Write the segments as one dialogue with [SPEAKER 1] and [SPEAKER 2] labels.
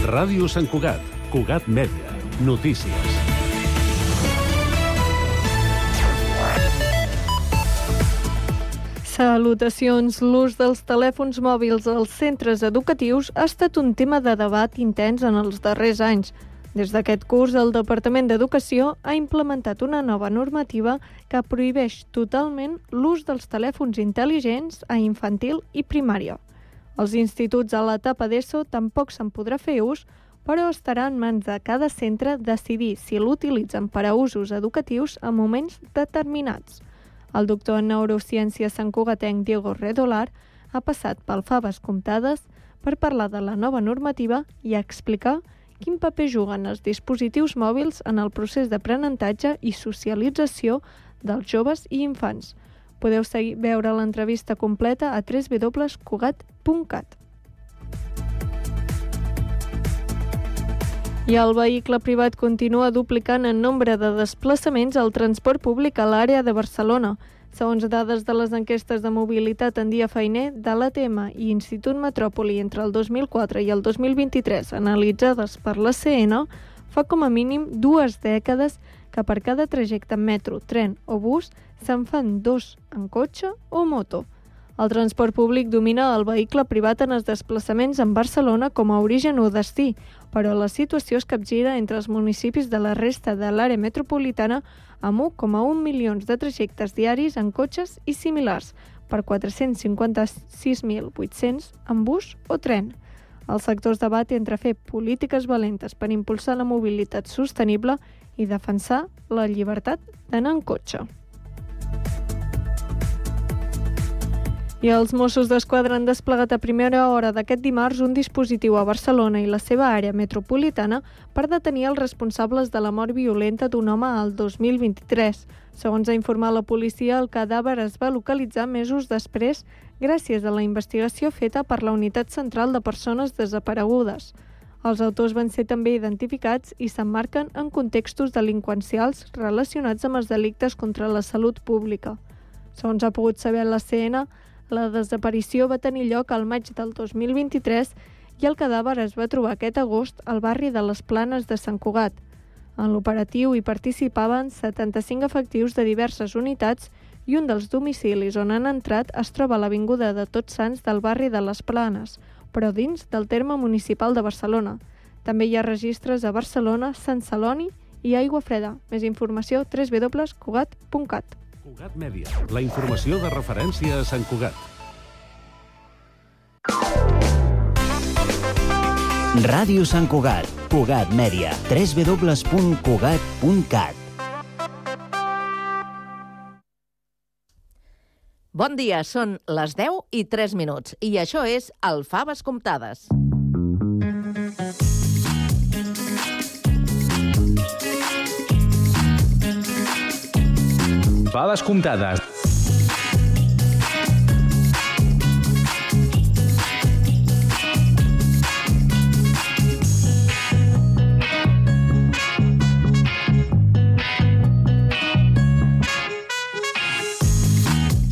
[SPEAKER 1] Ràdio Sant Cugat, Cugat Mèdia, notícies.
[SPEAKER 2] Salutacions. L'ús dels telèfons mòbils als centres educatius ha estat un tema de debat intens en els darrers anys. Des d'aquest curs, el Departament d'Educació ha implementat una nova normativa que prohibeix totalment l'ús dels telèfons intel·ligents a infantil i primària. Els instituts a l'etapa d'ESO tampoc se'n podrà fer ús, però estarà en mans de cada centre decidir si l'utilitzen per a usos educatius en moments determinats. El doctor en neurociències santcugatenc Diego Redolar ha passat pel Faves Comptades per parlar de la nova normativa i explicar quin paper juguen els dispositius mòbils en el procés d'aprenentatge i socialització dels joves i infants. Podeu veure l'entrevista completa a www.cugat.cat. I el vehicle privat continua duplicant en nombre de desplaçaments al transport públic a l'àrea de Barcelona. Segons dades de les enquestes de mobilitat en dia feiner de l'ATM i Institut Metròpoli entre el 2004 i el 2023, analitzades per la CN, fa com a mínim 2 dècades que per cada trajecte en metro, tren o bus se'n fan 2 en cotxe o moto. El transport públic domina el vehicle privat en els desplaçaments en Barcelona com a origen o destí, però la situació es capgira entre els municipis de la resta de l'àrea metropolitana amb 1,1 milions de trajectes diaris en cotxes i similars, per 456.800 en bus o tren. El sector es debat entre fer polítiques valentes per impulsar la mobilitat sostenible i defensar la llibertat d'anar en cotxe. I els Mossos d'Esquadra han desplegat a primera hora d'aquest dimarts un dispositiu a Barcelona i la seva àrea metropolitana per detenir els responsables de la mort violenta d'un home al 2023. Segons ha informat la policia, el cadàver es va localitzar mesos després gràcies a la investigació feta per la Unitat Central de Persones Desaparegudes. Els autors van ser també identificats i s'emmarquen en contextos delinqüencials relacionats amb els delictes contra la salut pública. Segons ha pogut saber la CN, la desaparició va tenir lloc al maig del 2023 i el cadàver es va trobar aquest agost al barri de les Planes de Sant Cugat. En l'operatiu hi participaven 75 efectius de diverses unitats i un dels domicilis on han entrat es troba a l'avinguda de Tots Sants del barri de les Planes, però dins del terme municipal de Barcelona. També hi ha registres a Barcelona, Sant Celoni i Aiguafreda. Més informació www.cugat.cat.
[SPEAKER 1] Cugat Mèdia, la informació de referència a Sant Cugat.
[SPEAKER 3] Ràdio Sant Cugat, Cugat Mèdia, www.cugat.cat.
[SPEAKER 4] Bon dia, són les 10:03 i això és el Faves Comptades.
[SPEAKER 5] Faves Comptades.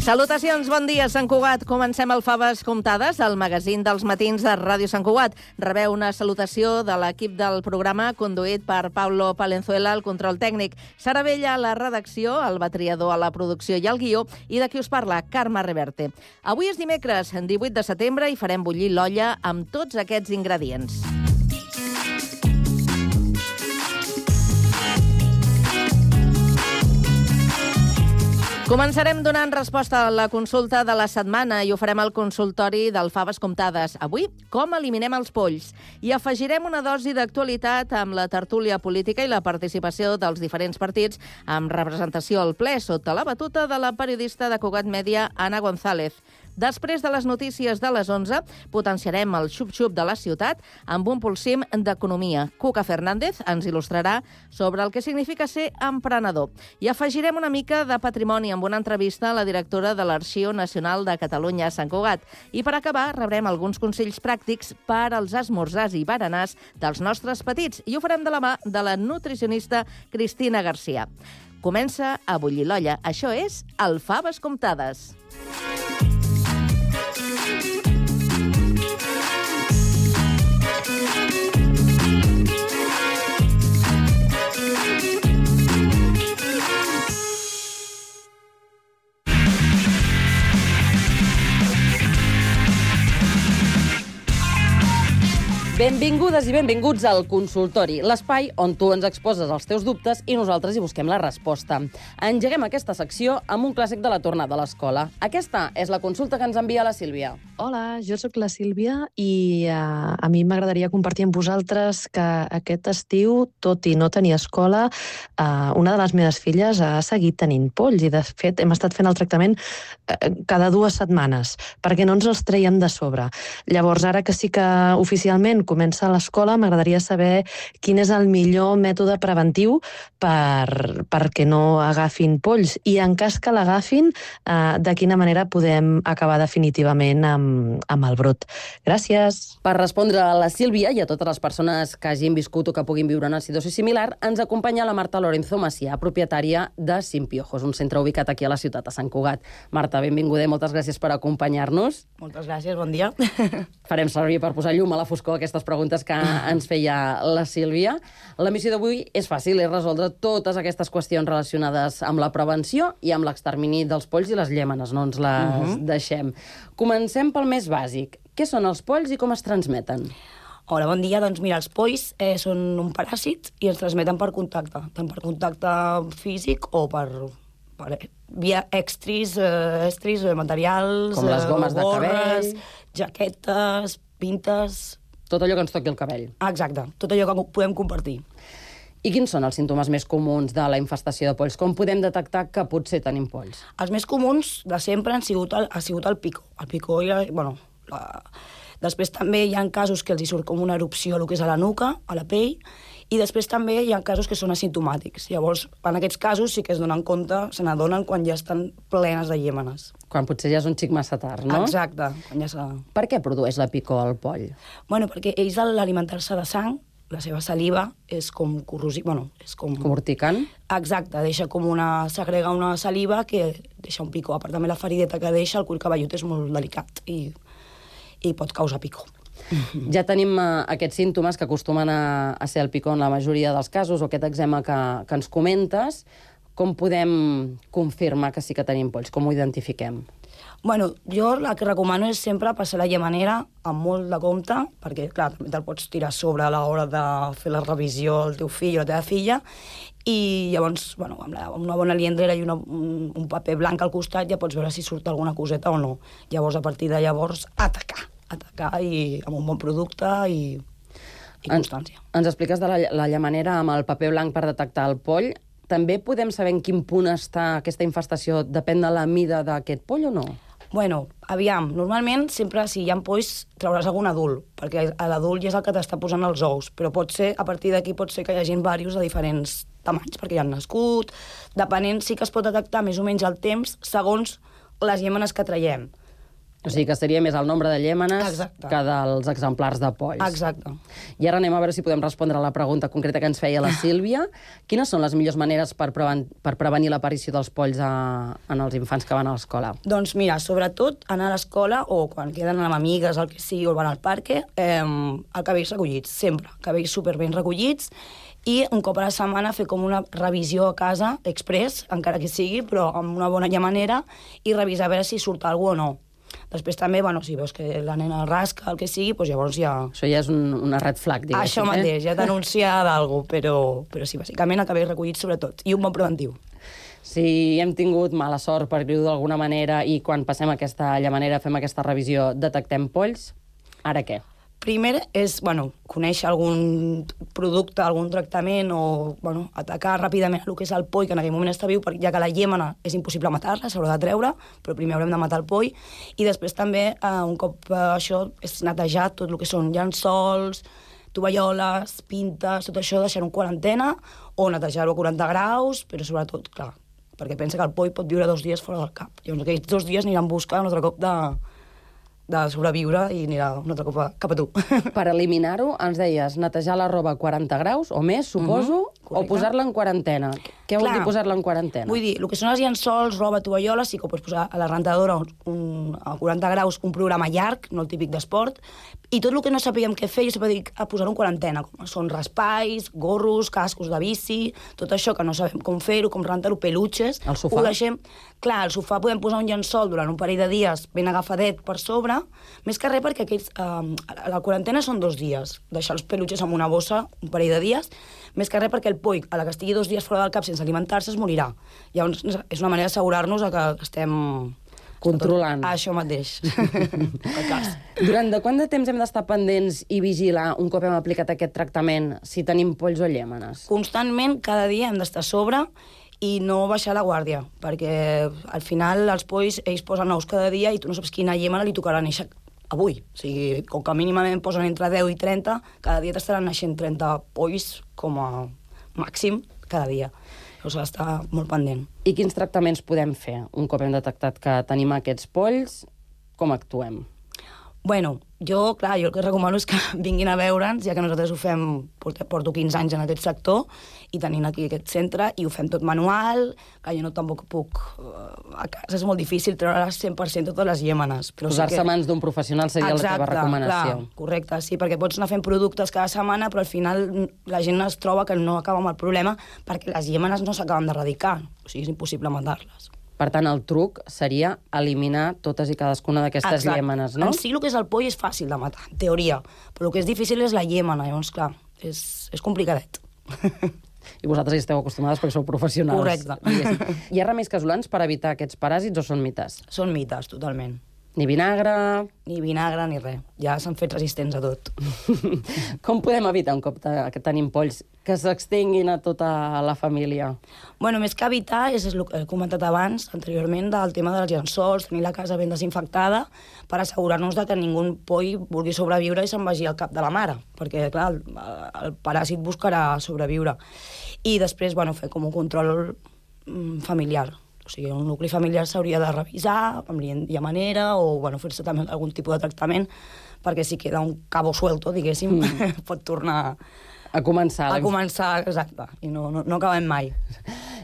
[SPEAKER 4] Salutacions, bon dia, Sant Cugat. Comencem el Faves Comptades, el magazín dels matins de Ràdio Sant Cugat. Rebeu una salutació de l'equip del programa conduït per Pablo Palenzuela, al control tècnic, Sara Vella a la redacció, el Batriador a la producció i al guió, i de qui us parla, Carme Reverte. Avui és dimecres, 18 de setembre, i farem bullir l'olla amb tots aquests ingredients. Començarem donant resposta a la consulta de la setmana i ho farem al consultori del Faves Comptades. Avui, com eliminem els polls? I afegirem una dosi d'actualitat amb la tertúlia política i la participació dels diferents partits amb representació al ple sota la batuta de la periodista de Cugat Mèdia, Anna González. Després de les notícies de les 11, potenciarem el xup-xup de la ciutat amb un pulsim d'economia. Cuca Fernández ens il·lustrarà sobre el que significa ser emprenedor. I afegirem una mica de patrimoni amb una entrevista a la directora de l'Arxiu Nacional de Catalunya a Sant Cugat. I per acabar, rebrem alguns consells pràctics per als esmorzars i berenars dels nostres petits. I ho farem de la mà de la nutricionista Cristina Garcia. Comença a bullir l'olla. Això és el Faves Comptades.
[SPEAKER 5] Benvingudes i benvinguts al Consultori, l'espai on tu ens exposes els teus dubtes i nosaltres hi busquem la resposta. Engeguem aquesta secció amb un clàssic de la tornada a l'escola. Aquesta és la consulta que ens envia la Sílvia.
[SPEAKER 6] Hola, jo sóc la Sílvia i a mi m'agradaria compartir amb vosaltres que aquest estiu, tot i no tenir escola, una de les meves filles ha seguit tenint polls i, de fet, hem estat fent el tractament cada 2 setmanes perquè no ens els traiem de sobre. Llavors, ara que sí que oficialment comença a l'escola, m'agradaria saber quin és el millor mètode preventiu perquè no agafin polls i, en cas que l'agafin, de quina manera podem acabar definitivament amb el brot. Gràcies.
[SPEAKER 5] Per respondre a la Sílvia i a totes les persones que hagin viscut o que puguin viure una situació similar, ens acompanya la Marta Lorenzo Macià, propietària de Sin Piojos, un centre ubicat aquí a la ciutat de Sant Cugat. Marta, benvinguda i moltes gràcies per acompanyar-nos.
[SPEAKER 7] Moltes gràcies, bon dia.
[SPEAKER 5] Farem servir per posar llum a la foscor aquestes preguntes que ens feia la Sílvia. La missió d'avui és fàcil, és resoldre totes aquestes qüestions relacionades amb la prevenció i amb l'extermini dels polls i les llèmenes, no ens les deixem. Comencem pel més bàsic. Què són els polls i com es transmeten?
[SPEAKER 7] Hola, bon dia. Doncs mira, els polls són un paràsit i ens transmeten per contacte, tant per contacte físic o per via estris, materials,
[SPEAKER 5] com les gomes de cabell,
[SPEAKER 7] jaquetes, pintes...
[SPEAKER 5] Tot allò que ens toqui el cabell.
[SPEAKER 7] Exacte, tot allò que podem compartir.
[SPEAKER 5] I quins són els símptomes més comuns de la infestació de polls? Com podem detectar que potser tenim polls?
[SPEAKER 7] Els més comuns de sempre ha sigut el picor. El picor i Després també hi ha casos que els hi surt com una erupció el que és a la nuca, a la pell, i després també hi ha casos que són asimptomàtics. Llavors, en aquests casos sí que es donen compte, se n'adonen quan ja estan plenes de llèmenes.
[SPEAKER 5] Quan potser ja és un xic massa tard, no?
[SPEAKER 7] Exacte. Quan ja s'ha...
[SPEAKER 5] Per què produeix la picor el poll?
[SPEAKER 7] Bueno, perquè ells, a l'alimentar-se de sang, la seva saliva és com corrosiva, és com...
[SPEAKER 5] Com urticant?
[SPEAKER 7] Exacte, segrega una saliva que deixa un picor. A part, també la ferideta que deixa, el cuir cabellut és molt delicat i pot causar picor.
[SPEAKER 5] Ja tenim aquests símptomes que acostumen a ser el picor en la majoria dels casos, o aquest eczema que ens comentes. Com podem confirmar que sí que tenim polls? Com ho identifiquem?
[SPEAKER 7] Bueno, jo el que recomano és sempre passar la llemanera amb molt de compte, perquè, clar, també te'l pots tirar a sobre a l'hora de fer la revisió al teu fill o la teva filla, i llavors, bueno, amb una bona liendrera i un paper blanc al costat ja pots veure si surt alguna coseta o no. Llavors, a partir de llavors, atacar i amb un bon producte i constància.
[SPEAKER 5] Ens expliques de la llemanera amb el paper blanc per detectar el poll. També podem saber en quin punt està aquesta infestació? Depèn de la mida d'aquest poll o no?
[SPEAKER 7] Bueno, aviam, normalment sempre si hi ha polls trauràs algun adult, perquè l'adult ja és el que t'està posant els ous, però a partir d'aquí pot ser que hi hagi diversos de diferents tamanys, perquè ja han nascut, depenent sí que es pot detectar més o menys el temps segons les llémenes que traiem.
[SPEAKER 5] O sigui que seria més el nombre de llémenes que dels exemplars de polls.
[SPEAKER 7] Exacte.
[SPEAKER 5] I ara anem a veure si podem respondre a la pregunta concreta que ens feia la Sílvia. Quines són les millors maneres per prevenir l'aparició dels polls en els infants que van a l'escola?
[SPEAKER 7] Doncs mira, sobretot anar a l'escola o quan queden amb amigues, el que sigui, o van al parc, el cabells recollits, sempre. Cabells superben recollits i un cop a la setmana fer com una revisió a casa, express, encara que sigui, però amb una bona manera, i revisar a veure si surt alguna o no. Després també, si veus que la nena rasca, el que sigui, doncs llavors ja...
[SPEAKER 5] Això ja és una red flag, diguéssim.
[SPEAKER 7] Això mateix, ja t'anuncia d'alguna cosa, però sí, bàsicament el cabell recollit sobretot, i un bon preventiu.
[SPEAKER 5] Si hem tingut mala sort, per dir-ho d'alguna manera, i quan passem aquesta llemanera, fem aquesta revisió, detectem polls, ara què?
[SPEAKER 7] Primer és, conèixer algun producte, algun tractament o, atacar ràpidament el que és el poll, que en aquell moment està viu, ja que la llémena és impossible matar-la, s'haurà de treure, però primer haurem de matar el poll, i després també, un cop això, és netejar tot el que són llençols, tovalloles, pintes, tot això, deixar-ho en quarantena, o netejar-ho a 40 graus, però sobretot, clar, perquè pensa que el poll pot viure 2 dies fora del cap. Llavors aquells 2 dies aniran buscant un altre cop de sobreviure i anirà un altre cop cap a tu.
[SPEAKER 5] Per eliminar-ho, ens deies netejar la roba a 40 graus o més, suposo, O posar-la en quarantena. Què vol dir posar-la en quarantena?
[SPEAKER 7] Vull dir, el que són els llençols, roba, tovalloles, sí que ho pots posar a la rentadora a 40 graus, un programa llarg, no el típic d'esport, i tot el que no sapíem què fer, jo sempre dic a posar-ho en quarantena, com són raspalls, gorros, cascos de bici, tot això que no sabem com fer-ho, com rentar-ho, peluches.
[SPEAKER 5] El sofà?
[SPEAKER 7] Ho deixem... Clar, al sofà podem posar un llençol durant un parell de dies ben agafadet per sobre, més que res perquè la quarantena són 2 dies, deixar els peluches en una bossa un parell de dies, més que res perquè el poll, a la que estigui 2 dies fora del cap sense alimentar-se, es morirà. Llavors, és una manera d'assegurar-nos que estem...
[SPEAKER 5] Controlant.
[SPEAKER 7] Això mateix.
[SPEAKER 5] Durant de quant de temps hem d'estar pendents i vigilar, un cop hem aplicat aquest tractament, si tenim polls o llèmenes?
[SPEAKER 7] Constantment, cada dia hem d'estar a sobre i no baixar la guàrdia, perquè al final els polls, ells posen ous cada dia i tu no saps quina llémena li tocarà néixer avui. O sigui, com que mínimament posen entre 10 i 30, cada dia t'estaran naixent 30 polls com a màxim cada dia. O sigui, està molt pendent.
[SPEAKER 5] I quins tractaments podem fer un cop hem detectat que tenim aquests polls? Com actuem?
[SPEAKER 7] Bueno, jo el que recomano és que vinguin a veure'ns, ja que nosaltres ho fem, porto 15 anys en aquest sector, i tenint aquí aquest centre, i ho fem tot manual, que jo no tampoc puc... A casa és molt difícil treure 100% totes les llémenes.
[SPEAKER 5] Posar-se a mans d'un professional seria la teva recomanació.
[SPEAKER 7] Clar, correcte, sí, perquè pots anar fent productes cada setmana, però al final la gent es troba que no acaba amb el problema perquè les llémenes no s'acaben d'erradicar. O sigui, és impossible matar-les.
[SPEAKER 5] Per tant, el truc seria eliminar totes i cadascuna d'aquestes llémenes, no?
[SPEAKER 7] En si el que és el poll és fàcil de matar, en teoria, però el que és difícil és la llémena, llavors, clar, és complicadet.
[SPEAKER 5] I vosaltres hi esteu acostumades perquè sou professionals.
[SPEAKER 7] Correcte.
[SPEAKER 5] Hi ha remeis casolans per evitar aquests paràsits o són mites?
[SPEAKER 7] Són mites, totalment.
[SPEAKER 5] Ni vinagre...
[SPEAKER 7] Ni vinagre ni res. Ja s'han fet resistents a tot.
[SPEAKER 5] Com podem evitar, un cop que tenim polls, que s'extenguin a tota la família?
[SPEAKER 7] Bueno, més que evitar, és el que he comentat abans, anteriorment, del tema dels llençols, tenir la casa ben desinfectada, per assegurar-nos que ningú poll vulgui sobreviure i se'n vagi al cap de la mare, perquè, clar, el paràsit buscarà sobreviure. I després, bueno, fer com un control familiar. O sigui, un nucli familiar s'hauria de revisar amb manera o bueno, fer-se també algun tipus de tractament perquè si queda un cabo suelto, diguéssim, pot tornar
[SPEAKER 5] a començar.
[SPEAKER 7] A començar, exacte, i no acabem mai.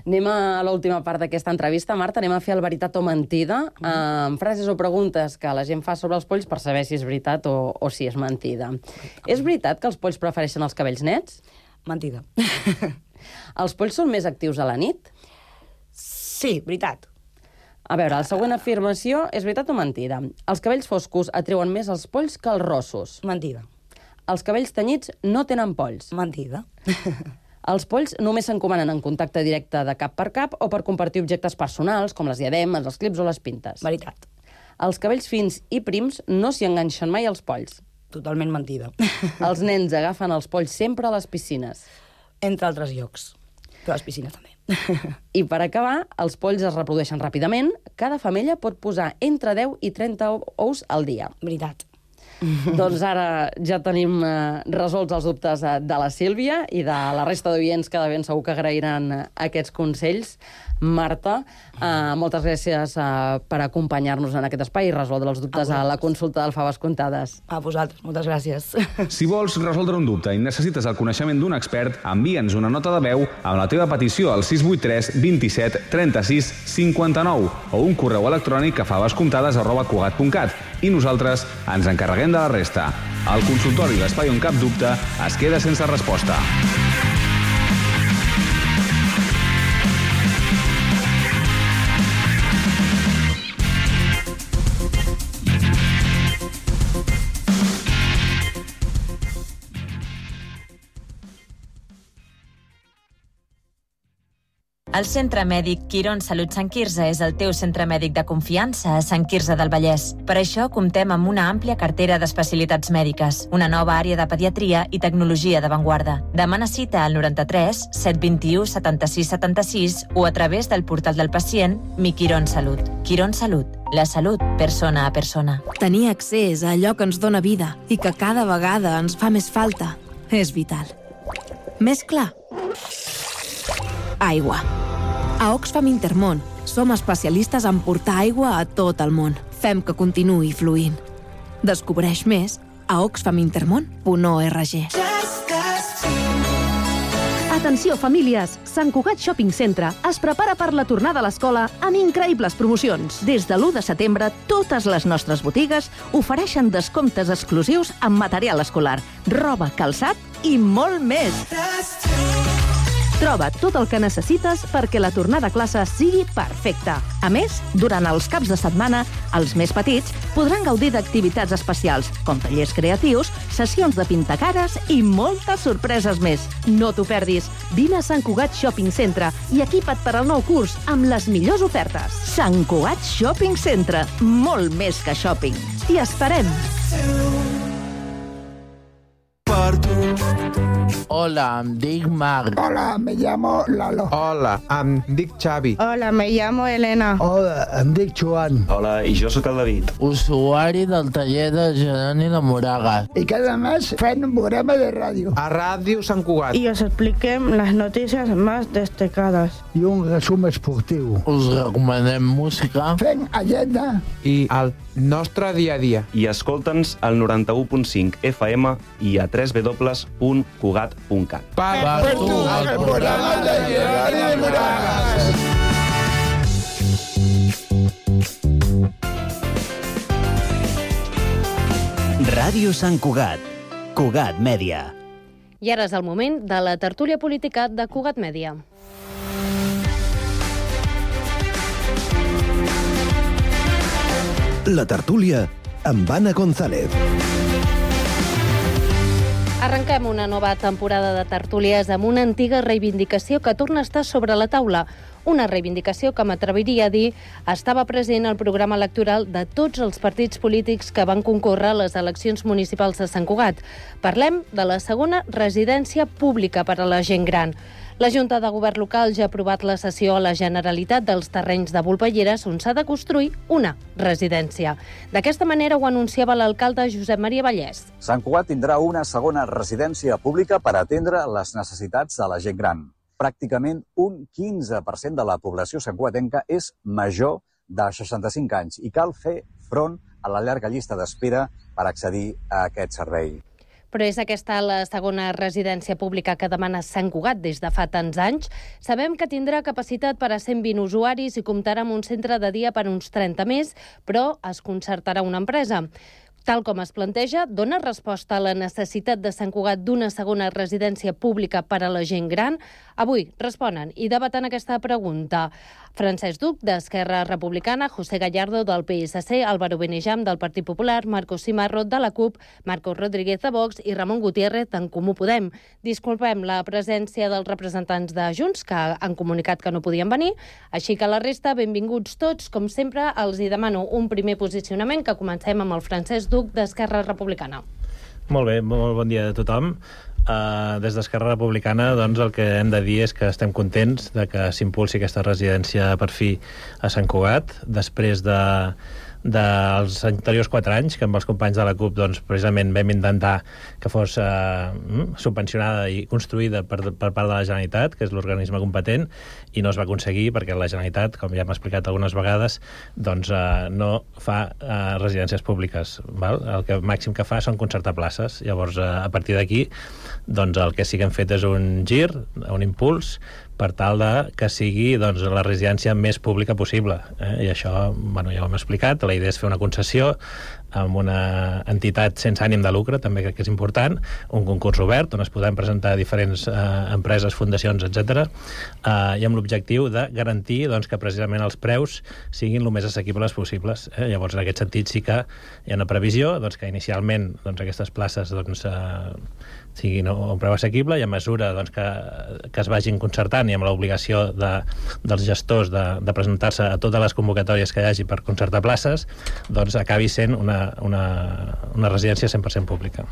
[SPEAKER 5] Anem a l'última part d'aquesta entrevista, Marta, anem a fer el veritat o mentida, amb frases o preguntes que la gent fa sobre els polls per saber si és veritat o si és mentida. És veritat que els polls prefereixen els cabells nets?
[SPEAKER 7] Mentida.
[SPEAKER 5] Els polls són més actius a la nit?
[SPEAKER 7] Sí, veritat.
[SPEAKER 5] A veure, la següent afirmació és veritat o mentida? Els cabells foscos atreuen més els polls que els rossos?
[SPEAKER 7] Mentida.
[SPEAKER 5] Els cabells tenyits no tenen polls?
[SPEAKER 7] Mentida.
[SPEAKER 5] Els polls només s'encomanen en contacte directe de cap per cap o per compartir objectes personals, com les diademes, els clips o les pintes?
[SPEAKER 7] Veritat.
[SPEAKER 5] Els cabells fins i prims no s'hi enganxen mai als polls?
[SPEAKER 7] Totalment mentida.
[SPEAKER 5] Els nens agafen els polls sempre a les piscines?
[SPEAKER 7] Entre altres llocs. Però a les piscines també.
[SPEAKER 5] I per acabar, els polls es reprodueixen ràpidament. Cada femella pot posar entre 10 i 30 ous al dia.
[SPEAKER 7] Veritat.
[SPEAKER 5] Doncs ara ja tenim resolts els dubtes de la Sílvia i de la resta d'oients que de ben segur que agrairan aquests consells. Marta, moltes gràcies per acompanyar-nos en aquest espai i resoldre els dubtes a la consulta del Faves Comptades.
[SPEAKER 7] A vosaltres, moltes gràcies.
[SPEAKER 8] Si vols resoldre un dubte i necessites el coneixement d'un expert, envia'ns una nota de veu amb la teva petició al 683 27 36 59 o un correu electrònic a favescomptades@cugat.cat i nosaltres ens encarreguem de la resta. El consultori, l'espai on cap dubte, es queda sense resposta.
[SPEAKER 9] El Centre Mèdic Quirón Salut Sant Quirze és el teu centre mèdic de confiança a Sant Quirze del Vallès. Per això comptem amb una àmplia cartera d'especialitats mèdiques, una nova àrea de pediatria i tecnologia d'avantguarda. Demana cita al 93 721 76 76 o a través del portal del pacient Mi Quirón Salut. Quirón Salut, la salut persona a persona.
[SPEAKER 10] Tenir accés a allò que ens dóna vida i que cada vegada ens fa més falta és vital. Més clar? Aigua. A Oxfam Intermón som especialistes en portar aigua a tot el món. Fem que continuï fluint. Descobreix més a oxfamintermón.org. A
[SPEAKER 11] Atenció, famílies! Sant Cugat Shopping Centre es prepara per la tornada a l'escola amb increïbles promocions.
[SPEAKER 4] Des de l'1 de setembre, totes les nostres botigues ofereixen descomptes exclusius en material escolar, roba, calçat i molt més.
[SPEAKER 11] Troba tot el que necessites perquè la tornada a classe sigui perfecta.
[SPEAKER 4] A més, durant els caps de setmana, els més petits podran gaudir d'activitats especials, com tallers creatius, sessions de pintacares i moltes sorpreses més.
[SPEAKER 11] No t'ho perdis. Vine a Sant Cugat Shopping Centre i equipa't per al nou curs amb les millors ofertes.
[SPEAKER 4] Sant Cugat Shopping Centre, molt més que shopping.
[SPEAKER 11] T'hi esperem!
[SPEAKER 12] Hola, em dic Marc.
[SPEAKER 13] Hola, me llamo Lalo.
[SPEAKER 12] Hola, em dic Xavi.
[SPEAKER 14] Hola, me llamo Elena.
[SPEAKER 13] Hola, em dic Joan.
[SPEAKER 15] Hola, i jo sóc el David.
[SPEAKER 12] Usuari del taller de Geroni de Moragas.
[SPEAKER 13] Y cada mes fem un programa de radio.
[SPEAKER 12] A Ràdio Sant Cugat.
[SPEAKER 14] Y os expliquem las noticias más destacadas.
[SPEAKER 13] I un resum esportiu.
[SPEAKER 12] Us recomanem música.
[SPEAKER 13] Fem agenda.
[SPEAKER 12] I el nostre dia a dia.
[SPEAKER 15] I escolta'ns al 91.5 FM i a www.cugat.cat.
[SPEAKER 12] Per tu, el programa de Geroni de Moragas.
[SPEAKER 3] Ràdio Sant Cugat. Cugat Mèdia.
[SPEAKER 16] I ara és el moment de la tertúlia política de Cugat Mèdia.
[SPEAKER 17] La tertúlia amb Anna González.
[SPEAKER 16] Arrenquem una nova temporada de tertúlies amb una antiga reivindicació que torna a estar sobre la taula. Una reivindicació que m'atreviria a dir estava present al programa electoral de tots els partits polítics que van concórrer a les eleccions municipals de Sant Cugat. Parlem de la segona residència pública per a la gent gran. La Junta de Govern local ja ha aprovat la cessió a la Generalitat dels terrenys de Volpelleres on s'ha de construir una residència. D'aquesta manera ho anunciava l'alcalde Josep Maria Vallès.
[SPEAKER 18] Sant Cugat tindrà una segona residència pública per atendre les necessitats de la gent gran. Pràcticament un 15% de la població santcugatenca és major de 65 anys i cal fer front a la llarga llista d'espera per accedir a aquest servei.
[SPEAKER 16] Però és aquesta la segona residència pública que demana Sant Cugat des de fa tants anys. Sabem que tindrà capacitat per a 120 usuaris i comptarà amb un centre de dia per uns 30 més, però es concertarà una empresa. Tal com es planteja, dona resposta a la necessitat de Sant Cugat d'una segona residència pública per a la gent gran? Avui responen i debaten aquesta pregunta Francesc Duc, d'Esquerra Republicana, José Gallardo, del PSC, Álvaro Benejam, del Partit Popular, Marcos Cimarro, de la CUP, Marcos Rodríguez, de Vox, i Ramon Gutiérrez, d'en Comú Podem. Disculpem la presència dels representants de Junts, que han comunicat que no podien venir, així que la resta, benvinguts tots. Com sempre, els hi demano un primer posicionament, que comencem amb el Francesc Duc, d'Esquerra Republicana.
[SPEAKER 19] Molt bé, molt bon dia a tothom. Des d'Esquerra Republicana, doncs, el que hem de dir és que estem contents de que s'impulsi aquesta residència per fi a Sant Cugat, després dels anteriors 4 anys que amb els companys de la CUP doncs, precisament vam intentar que fos subvencionada i construïda per part de la Generalitat, que és l'organisme competent, i no es va aconseguir perquè la Generalitat, com ja hem explicat algunes vegades, doncs, no fa residències públiques. Val? El que màxim que fa són concertar places. Llavors, a partir d'aquí, doncs, el que sí que hem fet és un gir, un impuls, per tal de que sigui, doncs, la residència més pública possible. I això, bueno, ja ho hem explicat. La idea és fer una concessió amb una entitat sense ànim de lucre, també crec que és important, un concurs obert on es podran presentar diferents empreses, fundacions, etc. I amb l'objectiu de garantir, doncs, que precisament els preus siguin el més assequibles possibles. Llavors, en aquest sentit, sí que hi ha una previsió, doncs, que inicialment, doncs, aquestes places, doncs, siguin un preu assequible, i a mesura, doncs, que es vagin concertant i amb l'obligació dels gestors de presentar-se a totes les convocatòries que hi hagi per concertar places, doncs acabi sent una residència 100% pública.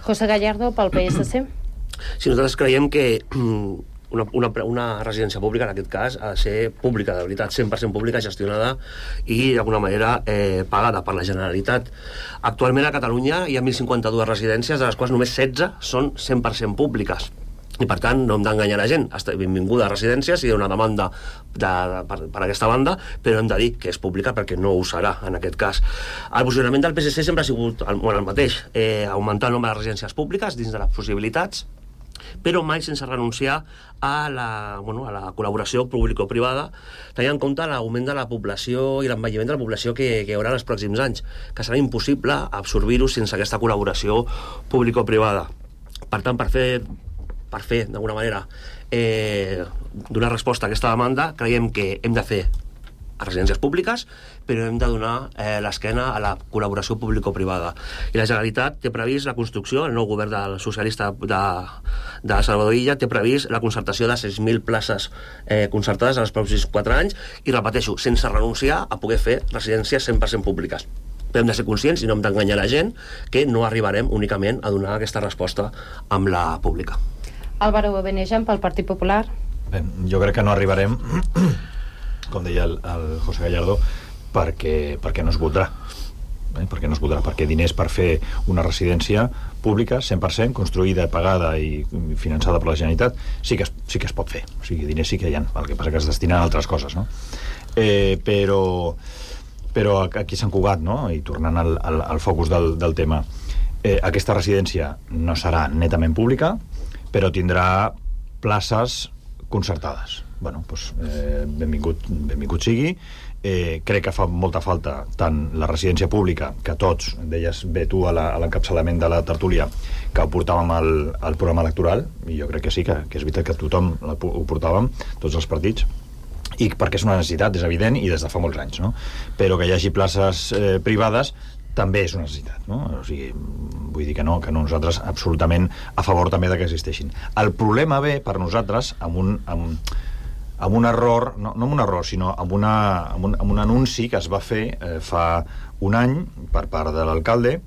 [SPEAKER 16] José Gallardo, pel PSC.
[SPEAKER 20] Sí, nosaltres creiem que una residència pública, en aquest cas, ha de ser pública, de veritat, 100% pública, gestionada i, d'alguna manera, pagada per la Generalitat. Actualment a Catalunya hi ha 1.052 residències, de les quals només 16 són 100% públiques. I, per tant, no hem d'enganyar la gent. Benvinguda a residències, hi ha una demanda per aquesta banda, però hem de dir que és pública perquè no ho serà, en aquest cas. El posicionament del PSC sempre ha sigut el mateix, augmentar el nombre de residències públiques dins de les possibilitats, però mai sense renunciar a la col·laboració público-privada, tenint en compte l'augment de la població i l'envelliment de la població que hi haurà en els pròxims anys, que serà impossible absorbir-ho sense aquesta col·laboració público-privada. Per tant, per fer d'alguna manera, donar resposta a aquesta demanda, creiem que hem de fer a residències públiques, però hem de donar l'esquena a la col·laboració público-privada. I la Generalitat té previst la construcció, el nou govern del socialista de Salvador Illa té previst la concertació de 6.000 places concertades en els pròxims 4 anys, i repeteixo, sense renunciar a poder fer residències 100% públiques. Però hem de ser conscients i no hem d'enganyar la gent que no arribarem únicament a donar aquesta resposta amb la pública.
[SPEAKER 16] Álvaro Benejam, pel Partit Popular.
[SPEAKER 21] Bé, jo crec que no arribarem, com deia el José Gallardo, perquè no es votarà. Perquè no es votarà, perquè diners per fer una residència pública 100%, construïda, pagada i finançada per la Generalitat, sí que es pot fer. O sigui, diners sí que hi ha, el que passa que es destinen a altres coses, no? Però aquí a Sant Cugat, no? I tornant al focus del tema, aquesta residència no serà netament pública, però tindrà places concertades. Bueno, doncs, benvingut sigui. Crec que fa molta falta tant la residència pública, que tots, deies bé tu a l'encapçalament de la tertúlia, que ho portàvem al programa electoral, i jo crec que sí, que és veritat que tothom ho portàvem, tots els partits, i perquè és una necessitat, és evident, i des de fa molts anys, no? Però que hi hagi places privades també és una necessitat, no? O sigui, vull dir que nosaltres absolutament a favor també de que existeixin. El problema ve per nosaltres amb un error, no amb un error, sinó amb un anunci que es va fer fa un any per part de l'alcalde.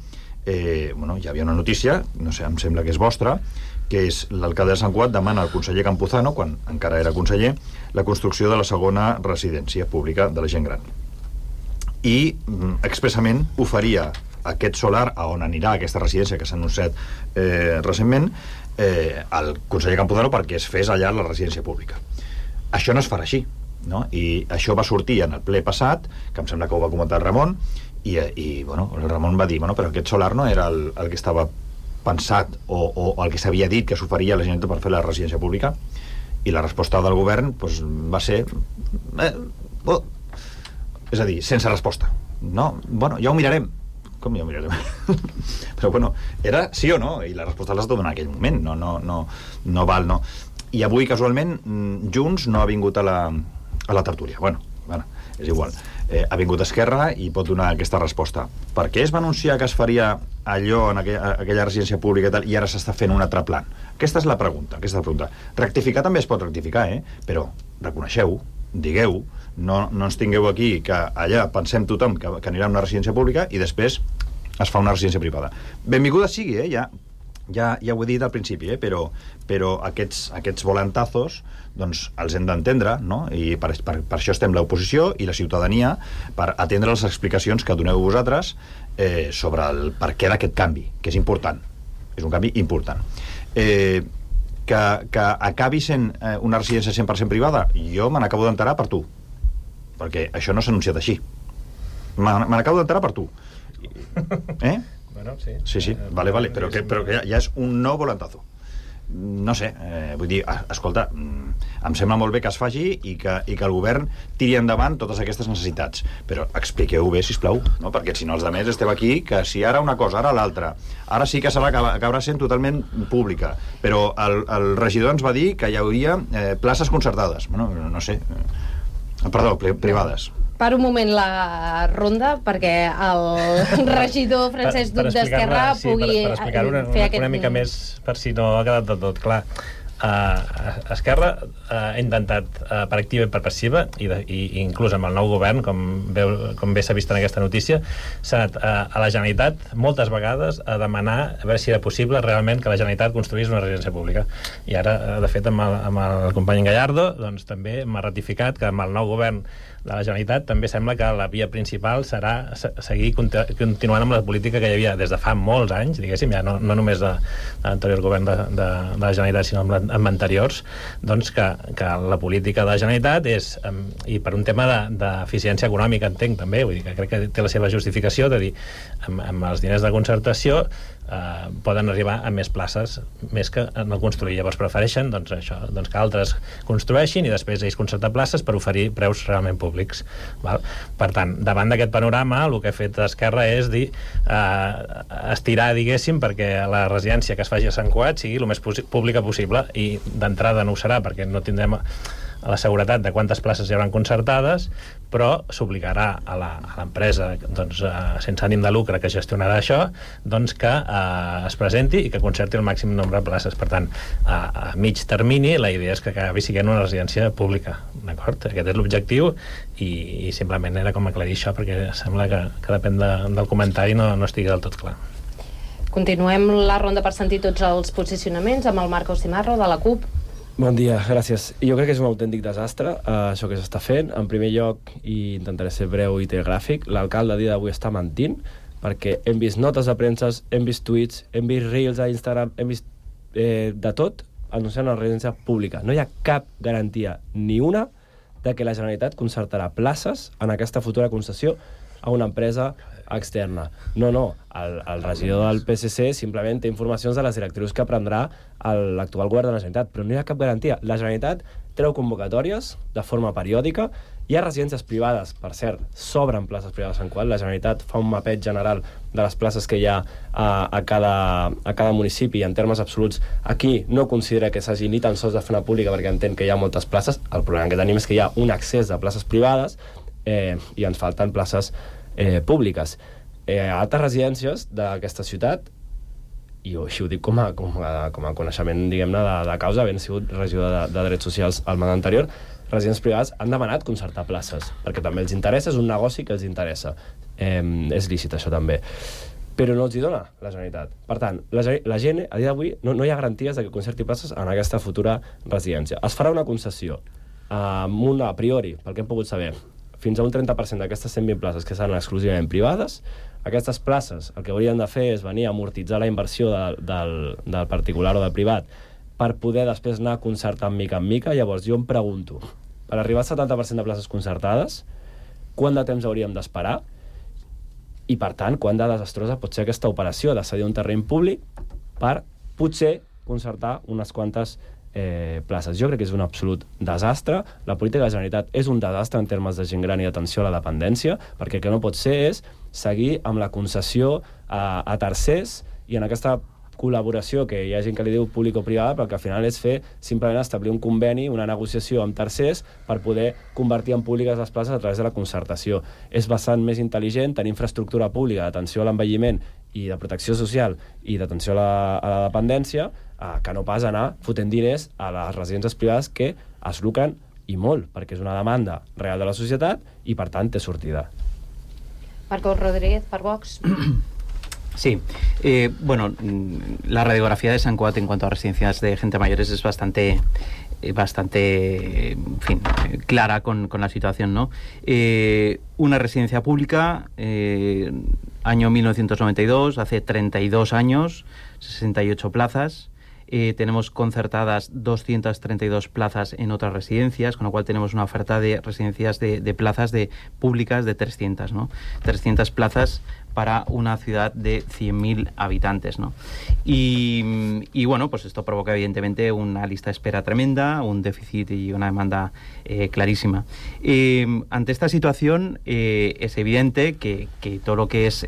[SPEAKER 21] Hi havia una notícia, no sé, em sembla que és vostra, que és l'alcalde de Sant Cugat demana al conseller Campuzano, quan encara era conseller, la construcció de la segona residència pública de la gent gran. I expressament oferia aquest solar a on anirà aquesta residència que s'ha anunciat recentment al conseller Campuzano perquè es fes allà la residència pública. Això no es farà així, no? I això va sortir en el ple passat, que em sembla que ho va comentar el Ramon, i el Ramon va dir, però aquest solar no era el que estava pensat o el que s'havia dit que s'oferia a la gent per fer la residència pública, i la resposta del govern va ser és a dir, sense resposta, no? Ja ho mirarem. Com ja ho mirarem? Però era sí o no, i la resposta l'has de donar en aquell moment, no val, no. I avui, casualment, Junts no ha vingut a la tertúlia. Bueno, és igual. Ha vingut Esquerra i pot donar aquesta resposta. Per què es va anunciar que es faria allò en aquella residència pública i tal, i ara s'està fent un altre plan? Aquesta és la pregunta. Rectificar també es pot rectificar, però reconeixeu, digueu, no ens tingueu aquí que allà pensem tothom que anirà a una residència pública i després es fa una residència privada. Benvinguda sigui, ja ho he dit al principi, però aquests volantazos doncs els hem d'entendre, no? I per això estem l'oposició i la ciutadania, per atendre les explicacions que doneu vosaltres sobre el per què d'aquest canvi, que és important. És un canvi important. Que acabi sent una residència 100% privada, jo me n'acabo d'enterar per tu, perquè això no s'ha anunciat així. Me n'acabo d'enterar per tu.
[SPEAKER 19] Bueno, sí.
[SPEAKER 21] Sí, vale, però que ja és un nou volantazo. No sé, vull dir, escolta, em sembla molt bé que es faci i que el govern tiri endavant totes aquestes necessitats, però expliqueu bé, sisplau, no? Perquè si no els altres estem aquí, que si ara una cosa, ara l'altra, ara sí que acabarà sent totalment pública, però el regidor ens va dir que hi hauria places concertades, no sé, perdó, privades.
[SPEAKER 16] Per un moment la ronda, perquè el regidor Francesc Duc d'Esquerra pugui
[SPEAKER 19] per explicar-ho una mica més, per si no ha quedat del tot clar. Esquerra ha intentat per activa i per passiva, i inclús amb el nou govern, com bé s'ha vist en aquesta notícia, s'ha anat a la Generalitat moltes vegades a demanar a veure si era possible realment que la Generalitat construís una residència pública. I ara, de fet, amb el company Gallardo, doncs també m'ha ratificat que amb el nou govern de la Generalitat també sembla que la via principal serà seguir continuant amb la política que hi havia des de fa molts anys, diguéssim, ja no només de l'anterior govern de la Generalitat, sinó amb anteriors, doncs que la política de la Generalitat és, i per un tema d'eficiència econòmica, entenc també, vull dir que crec que té la seva justificació de dir, amb els diners de concertació poden arribar a més places, més que no construir. Llavors prefereixen doncs, això, doncs que altres construeixin i després ells concertar places per oferir preus realment públics. Val? Per tant, davant d'aquest panorama, el que ha fet Esquerra és dir, estirar, diguéssim, perquè la residència que es faci a Sant Cugat sigui el més pública possible, i d'entrada no ho serà perquè no tindrem la seguretat de quantes places hi haurà concertades, però s'obligarà a l'empresa doncs, sense ànim de lucre que gestionarà això, doncs que es presenti i que concerti el màxim nombre de places. Per tant, a mig termini la idea és que acabi sent una residència pública, d'acord? Aquest és l'objectiu, i simplement era com aclarir això, perquè sembla que depèn del comentari no estigui del tot clar.
[SPEAKER 16] Continuem la ronda per sentir tots els posicionaments amb el Marco Cimarro de la CUP.
[SPEAKER 2] Bon dia, gràcies. Jo crec que és un autèntic desastre això que s'està fent. En primer lloc, i intentaré ser breu i telegràfic, l'alcalde a dia d'avui està mentint, perquè hem vist notes de premsa, hem vist tuits, hem vist reels a Instagram, hem vist de tot anunciant una residència pública. No hi ha cap garantia, ni una, de que la Generalitat concertarà places en aquesta futura concessió a una empresa externa. No. El regidor del PSC simplement té informacions de les directrius que prendrà l'actual govern de la Generalitat, però no hi ha cap garantia. La Generalitat treu convocatòries de forma periòdica. Hi ha residències privades, per cert, s'obren places privades a Sant Cugat. La Generalitat fa un mapeig general de les places que hi ha a cada municipi, i en termes absoluts aquí no considera que s'hagi ni tan sols de fer una pública, perquè entén que hi ha moltes places. El problema que tenim és que hi ha un excés de places privades i ens falten places públiques. Altres residències d'aquesta ciutat, i així ho dic com a coneixement, diguem-ne, de causa, havent sigut regidor de Drets Socials al mandat anterior, residències privades han demanat concertar places, perquè també els interessa, és un negoci que els interessa. És lícit això també. Però no els hi dona la Generalitat. Per tant, la gent, a dia d'avui, no hi ha garanties de que concerti places en aquesta futura residència. Es farà una concessió amb una, a priori, pel que hem pogut saber, fins a un 30% d'aquestes 120 places que seran exclusivament privades. Aquestes places el que haurien de fer és venir a amortitzar la inversió del particular o del privat per poder després anar concertant mica en mica. Llavors jo em pregunto, per arribar al 70% de places concertades, quant de temps hauríem d'esperar? I per tant, quant de desastrosa pot ser aquesta operació de cedir un terreny públic per potser concertar unes quantes places. Jo crec que és un absolut desastre. La política de la Generalitat és un desastre en termes de gent gran i d'atenció a la dependència, perquè el que no pot ser és seguir amb la concessió a tercers i en aquesta col·laboració que hi ha gent que li diu público-privada, però que al final és fer simplement establir un conveni, una negociació amb tercers per poder convertir en públiques les places a través de la concertació. És bastant més intel·ligent tenir infraestructura pública d'atenció a l'envelliment i de protecció social i d'atenció a la dependència que no pas anar fotent diners a les residències privades que es lucren i molt, perquè és una demanda real de la societat i per tant té sortida.
[SPEAKER 16] Marcos Rodríguez, per Vox.
[SPEAKER 22] Sí, bueno, la radiografía de Sant Cugat en cuanto a residencias de gente mayores es bastante en fin, clara con la situación, ¿no? Una residencia pública, año 1992, hace 32 años, 68 plazas. Tenemos concertadas 232 plazas en otras residencias, con lo cual tenemos una oferta de residencias de plazas públicas de 300, ¿no? 300 plazas para una ciudad de 100.000 habitantes, ¿no? Y bueno, pues esto provoca evidentemente una lista de espera tremenda, un déficit y una demanda clarísima. Ante esta situación es evidente que todo lo que es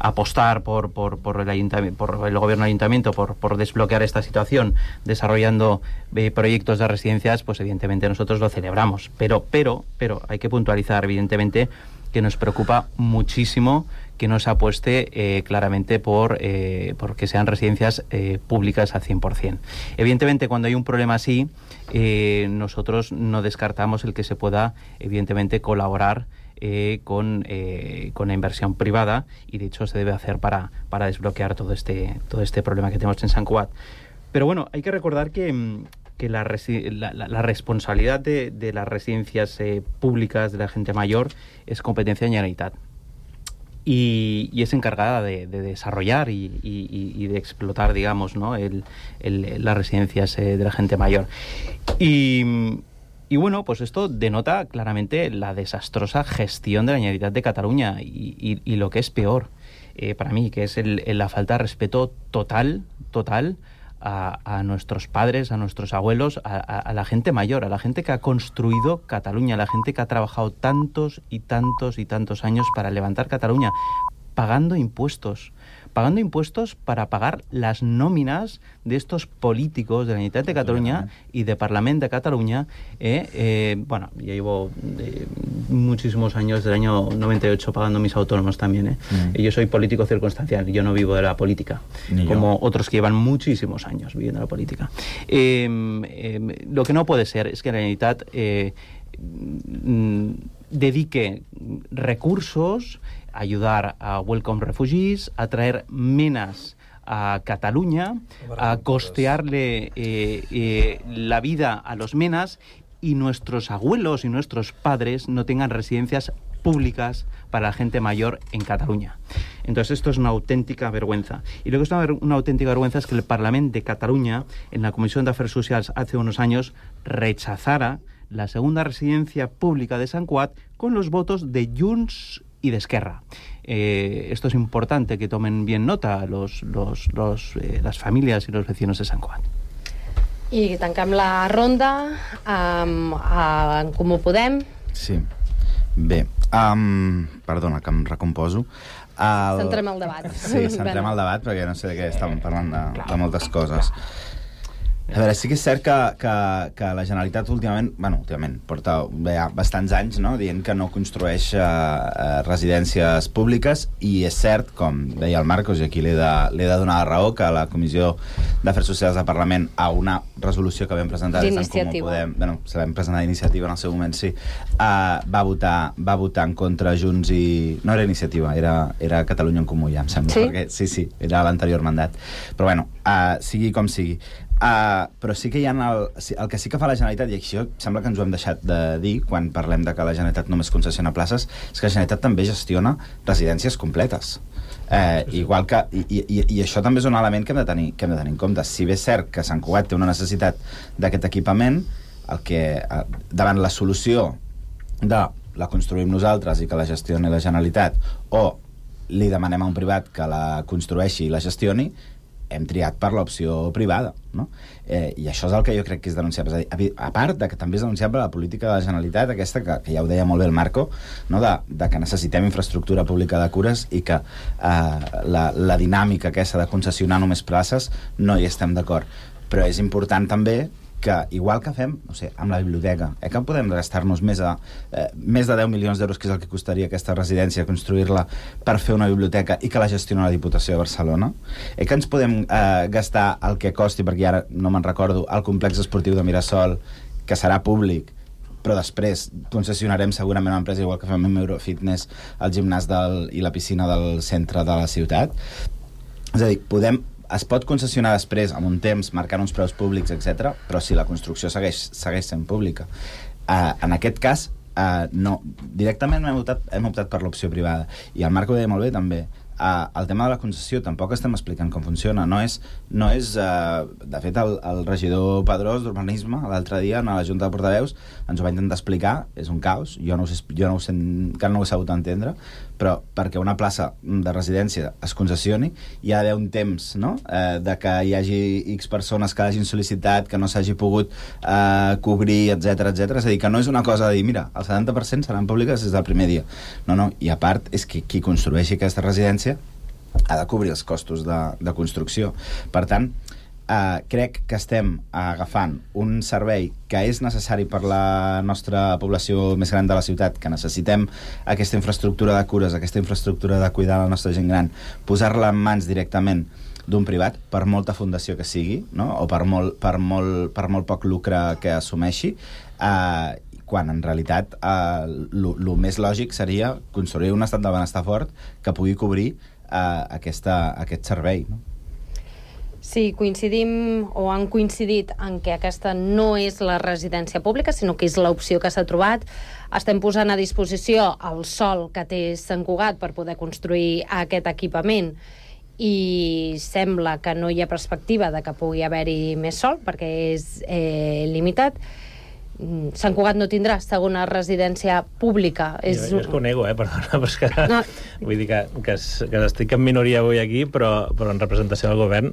[SPEAKER 22] apostar por el ayuntamiento, por el gobierno del ayuntamiento, por desbloquear esta situación, desarrollando proyectos de residencias, pues evidentemente nosotros lo celebramos. Pero hay que puntualizar, evidentemente, que nos preocupa muchísimo que no se apueste claramente por que sean residencias públicas al 100%. Evidentemente, cuando hay un problema así, nosotros no descartamos el que se pueda, evidentemente, colaborar con la inversión privada, y de hecho se debe hacer para desbloquear todo este problema que tenemos en Sant Cugat. Pero bueno, hay que recordar que la responsabilidad de las residencias públicas de la gente mayor es competencia de la Generalitat, y es encargada de desarrollar y de explotar, digamos, ¿no? las residencias de la gente mayor. Y bueno, pues esto denota claramente la desastrosa gestión de la Generalitat de Cataluña y lo que es peor. para mí, que es la falta de respeto total a nuestros padres, a nuestros abuelos, a la gente mayor, a la gente que ha construido Cataluña, a la gente que ha trabajado tantos y tantos y tantos años para levantar Cataluña, pagando impuestos para pagar las nóminas de estos políticos de la Generalitat de Cataluña y de Parlamento de Cataluña. Bueno, yo llevo muchísimos años, del año 98, pagando mis autónomos también. Yo soy político circunstancial, yo no vivo de la política, como otros que llevan muchísimos años viviendo de la política. Lo que no puede ser es que la Generalitat dedique recursos a ayudar a Welcome Refugees, a traer menas a Cataluña, a costearle la vida a los menas, y nuestros abuelos y nuestros padres no tengan residencias públicas para la gente mayor en Cataluña. Entonces esto es una auténtica vergüenza. Y lo que es una auténtica vergüenza es que el Parlament de Cataluña, en la Comisión de Afers Socials hace unos años, rechazara la segunda residencia pública de Sant Cugat con los votos de Junts y de Esquerra. Esto es importante que tomen bien nota las familias y los vecinos de Sant Cugat.
[SPEAKER 16] I tanquem la ronda amb en Comú Podem.
[SPEAKER 1] Sí. Bé, perdona, que em recomposo.
[SPEAKER 16] Centrem el debat.
[SPEAKER 1] Sí, centrem el debat, perquè no sé de què estàvem parlant, de moltes coses. A veure, sí que és cert que la Generalitat últimament porta bastants anys, no?, dient que no construeix residències públiques, i és cert, com deia el Marcos, i aquí li he de donar la raó, que la Comissió d'Afers Socials del Parlament, a una resolució que vam presentar des d'en Comú Podem, se l'hem presentat d'iniciativa en el seu moment, sí, va votar en contra Junts i... No era iniciativa, era Catalunya en Comú, ja em sembla, perquè sí, era l'anterior mandat. Però bueno, sigui com sigui. Però sí que hi ha el que sí que fa la Generalitat, i això sembla que ens ho hem deixat de dir quan parlem de que la Generalitat només concessiona places, és que la Generalitat també gestiona residències completes. Igual que, i això també és un element que hem de tenir en compte. Si bé és cert que Sant Cugat té una necessitat d'aquest equipament, davant la solució de la construïm nosaltres i que la gestioni la Generalitat, o li demanem a un privat que la construeixi i la gestioni, hem triat per l'opció privada, no? I això és el que jo crec que és denunciable. És a dir, a part de que també és denunciable la política de la Generalitat, aquesta que ja ho deia molt bé el Marco, no? de que necessitem infraestructura pública de cures i que la dinàmica aquesta de concessionar només places no hi estem d'acord. Però és important també que, igual que fem, no sé, amb la biblioteca, que podem gastar-nos més de 10 milions d'euros, que és el que costaria aquesta residència, construir-la per fer una biblioteca i que la gestioni la Diputació de Barcelona, que ens podem gastar el que costi, perquè ara no me'n recordo, el complex esportiu de Mirasol, que serà públic, però després concessionarem segurament una empresa, igual que fem amb Eurofitness, el gimnàs i la piscina del centre de la ciutat. És a dir, es pot concessionar després, amb un temps, marcant uns preus públics, etc., però si la construcció segueix sent pública. En aquest cas, no. Directament hem optat per l'opció privada. I el Marc ho deia molt bé, també. El tema de la concessió tampoc estem explicant com funciona. No és de fet, el regidor Pedrós d'Urbanisme l'altre dia a la Junta de Portaveus ens ho va intentar explicar. És un caos, jo no ho sé, encara no ho he sabut entendre, però perquè una plaça de residència es concessioni hi ha d'haver un temps, no?, de que hi hagi X persones que hagin sol·licitat, que no s'hagi pogut cobrir, etc. És a dir, que no és una cosa de dir, mira, el 70% seran públiques des del primer dia. No, i a part és que qui construeixi aquesta residència ha de cobrir els costos de construcció. Per tant, crec que estem agafant un servei que és necessari per la nostra població més gran de la ciutat, que necessitem aquesta infraestructura de cures, aquesta infraestructura de cuidar la nostra gent gran, posar-la en mans directament d'un privat, per molta fundació que sigui, no?, o per molt poc lucre que assumeixi, quan en realitat el més lògic seria construir un estat del benestar fort que pugui cobrir aquest servei, no?
[SPEAKER 16] Sí, coincidim o han coincidit en que aquesta no és la residència pública, sinó que és l'opció que s'ha trobat. Estem posant a disposició el sòl que té Sant Cugat per poder construir aquest equipament i sembla que no hi ha perspectiva de que pugui haver-hi més sòl perquè és limitat. Sant Cugat no tindrà segona residència pública.
[SPEAKER 19] Jo és que ho nego, perdona, però és que... No. Vull dir que estic en minoria avui aquí, però en representació del govern,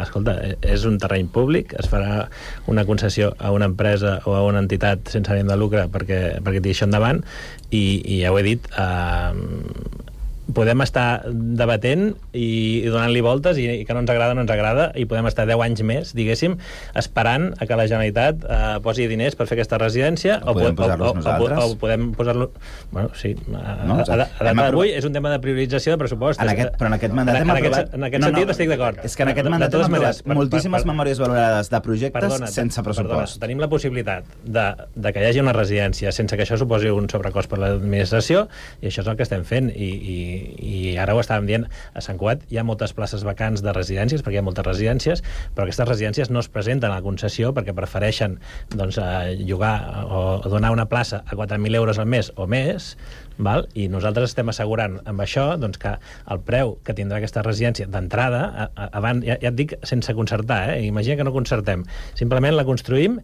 [SPEAKER 19] escolta, és un terreny públic, es farà una concessió a una empresa o a una entitat sense ànim de lucre perquè tiri això endavant, i ja ho he dit, podem estar debatent i donant-li voltes i que no ens agrada, i podem estar 10 anys més, diguéssim, esperant a que la Generalitat posi diners per fer aquesta residència, o podem posar-los nosaltres. O podem posar-lo... Bueno, sí. A data d'avui és un tema de priorització de pressupost.
[SPEAKER 1] Però en aquest mandat hem aprovat...
[SPEAKER 19] En aquest sentit estic d'acord.
[SPEAKER 1] És que en aquest mandat hem aprovat moltíssimes memòries valorades de projectes sense pressupost.
[SPEAKER 19] Tenim la possibilitat de que hi hagi una residència sense que això suposi un sobrecost per l'administració, i això és el que estem fent, i ara ho estàvem dient, a Sant Cugat hi ha moltes places vacants de residències, perquè hi ha moltes residències, però aquestes residències no es presenten a la concessió perquè prefereixen llogar o donar una plaça a 4.000 euros al mes o més, val? I nosaltres estem assegurant amb això que el preu que tindrà aquesta residència d'entrada, abans, ja et dic, sense concertar, imagina que no concertem, simplement la construïm,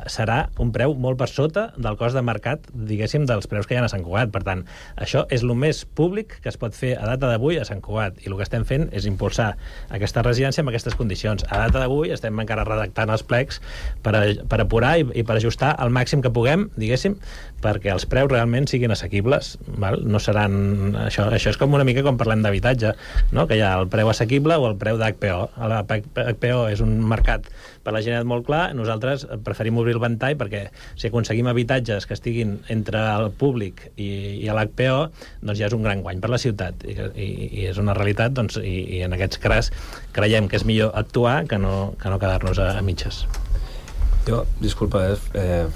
[SPEAKER 19] serà un preu molt per sota del cost de mercat, diguéssim, dels preus que hi ha a Sant Cugat. Per tant, això és el més públic que es pot fer a data d'avui a Sant Cugat, i el que estem fent és impulsar aquesta residència amb aquestes condicions. A data d'avui estem encara redactant els plecs per apurar i per ajustar al màxim que puguem, diguéssim, perquè els preus realment siguin assequibles, val? No seran... Això és com una mica com parlem d'habitatge, no? Que hi ha el preu assequible o el preu d'HPO. L'HPO és un mercat per la gent molt clar, nosaltres preferim obrir el ventall perquè si aconseguim habitatges que estiguin entre el públic i l'HPO, doncs ja és un gran guany per la ciutat, i és una realitat, doncs, i en aquests cas creiem que és millor actuar que no quedar-nos a mitges.
[SPEAKER 2] Jo, disculpa,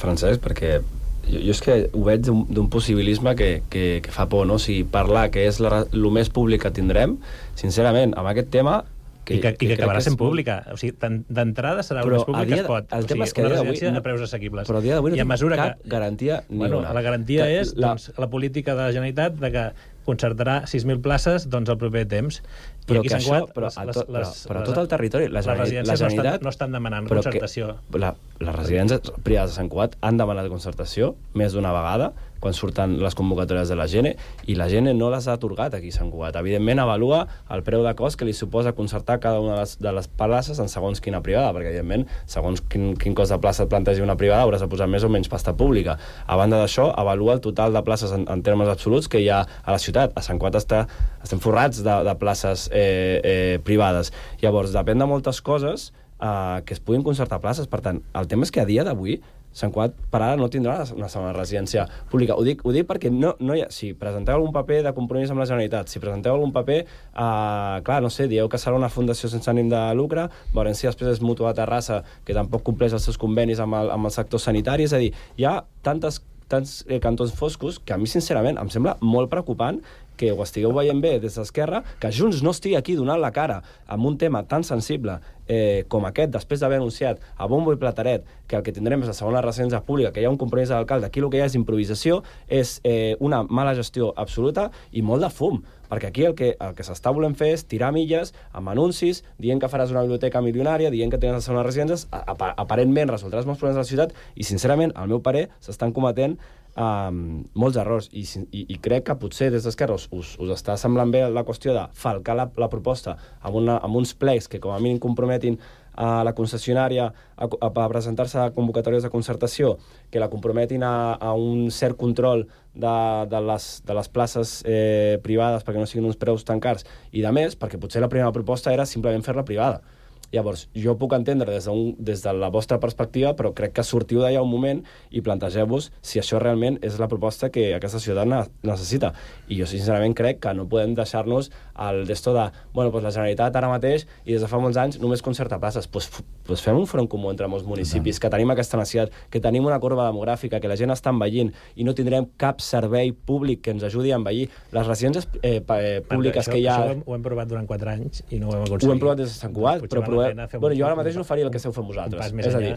[SPEAKER 2] Francesc, perquè jo és que ho veig d'un possibilisme que fa por, no? O sigui, parlar que és el més públic que tindrem, sincerament, amb aquest tema...
[SPEAKER 19] I que acabarà sent pública. O sigui, d'entrada serà el més públic que es pot.
[SPEAKER 2] El tema és que
[SPEAKER 19] una residència de preus assequibles.
[SPEAKER 2] Però a dia d'avui no tinc cap garantia ni una.
[SPEAKER 19] La garantia és la política de la Generalitat de que concertarà 6.000 places el proper temps.
[SPEAKER 2] Però que això, però a tot el territori les
[SPEAKER 19] residències no estan demanant concertació.
[SPEAKER 2] Les residències privades de Sant Cugat han demanat concertació més d'una vegada quan surten les convocatòries de la Gene, i la Gene no les ha atorgat aquí a Sant Cugat. Evidentment avalua el preu de cost que li suposa concertar cada una de les places en segons quina privada, perquè evidentment segons quin cost de plaça et plantegi una privada hauràs de posar més o menys pasta pública. A banda d'això, avalua el total de places en termes absoluts que hi ha a la ciutat. A Sant Cugat estem forrats de places privades. Llavors, depèn de moltes coses que es puguin concertar places. Per tant, el tema és que a dia d'avui Sant Cugat per ara no tindrà una segona residència pública. Ho dic perquè no hi ha... Si presenteu algun paper de compromís amb la Generalitat, si presenteu algun paper, clar, no sé, dieu que serà una fundació sense ànim de lucre, veurem si després és Mútua de Terrassa, que tampoc compleix els seus convenis amb el sector sanitari. És a dir, hi ha tants cantons foscos que a mi, sincerament, em sembla molt preocupant que ho estigueu veient bé des d'Esquerra, que Junts no estigui aquí donant la cara amb un tema tan sensible com aquest, després d'haver anunciat a bombo i plataret que el que tindrem és la segona residència pública, que hi ha un compromís de l'alcalde. Aquí el que hi ha és improvisació, és una mala gestió absoluta i molt de fum, perquè aquí el que s'està volent fer és tirar milles amb anuncis, dient que faràs una biblioteca milionària, dient que tens les segones residències, aparentment resoldràs molts problemes de la ciutat, i sincerament, al meu parer, s'estan cometent molts errors, i crec que potser des d'Esquerra us està semblant bé la qüestió de falcar la proposta amb uns plecs que com a mínim comprometin a la concessionària a presentar-se a convocatòries de concertació, que la comprometin a un cert control de les places privades perquè no siguin uns preus tan cars, i de més, perquè potser la primera proposta era simplement fer-la privada. Llavors, jo puc entendre des de la vostra perspectiva, però crec que sortiu d'allà un moment i plantegeu-vos si això realment és la proposta que aquesta ciutat necessita. I jo sincerament crec que no podem deixar-nos el d'esto de, bueno, pues la Generalitat ara mateix i des de fa molts anys només concerta places. Pues fem un front comú entre molts municipis, que tenim aquesta necessitat, que tenim una corba demogràfica, que la gent està envellint i no tindrem cap servei públic que ens ajudi a envellir. Les residències públiques que hi ha...
[SPEAKER 19] Això ho hem provat durant 4 anys i no ho hem aconseguit.
[SPEAKER 2] Ho hem provat des de Sant Cugat, però Bueno, jo ara mateix no faria el que esteu fent vosaltres. És a dir,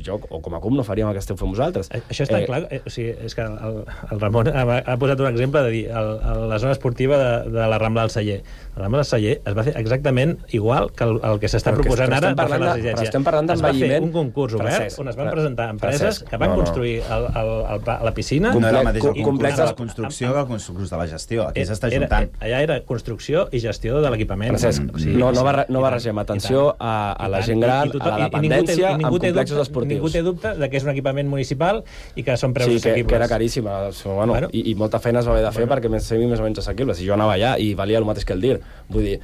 [SPEAKER 2] jo, o com a CUP, no faríem el que esteu fent vosaltres.
[SPEAKER 19] Això està clar. O sigui, és que el Ramon ha posat un exemple de dir la zona esportiva de la Rambla del Celler. La Rambla del Celler es va fer exactament igual que el que s'està proposant ara per fer la residència.
[SPEAKER 2] Estem parlant d'envelliment.
[SPEAKER 19] Es va fer un concurs obert on es van presentar empreses que van construir la piscina.
[SPEAKER 1] No era el mateix el complex de la construcció que el concurs de la gestió. Aquí s'està juntant.
[SPEAKER 19] Allà era construcció i gestió de l'equipament.
[SPEAKER 2] No barregem atenció a la gent gran, a la dependència, amb complexos esportius.
[SPEAKER 19] Ningú té dubte de que és un equipament municipal i que són preus assequibles.
[SPEAKER 2] Sí, que era caríssim. I molta feina es va haver de fer perquè sigui més o menys assequible. Si jo anava allà i valia el mateix que el DIR, vull dir,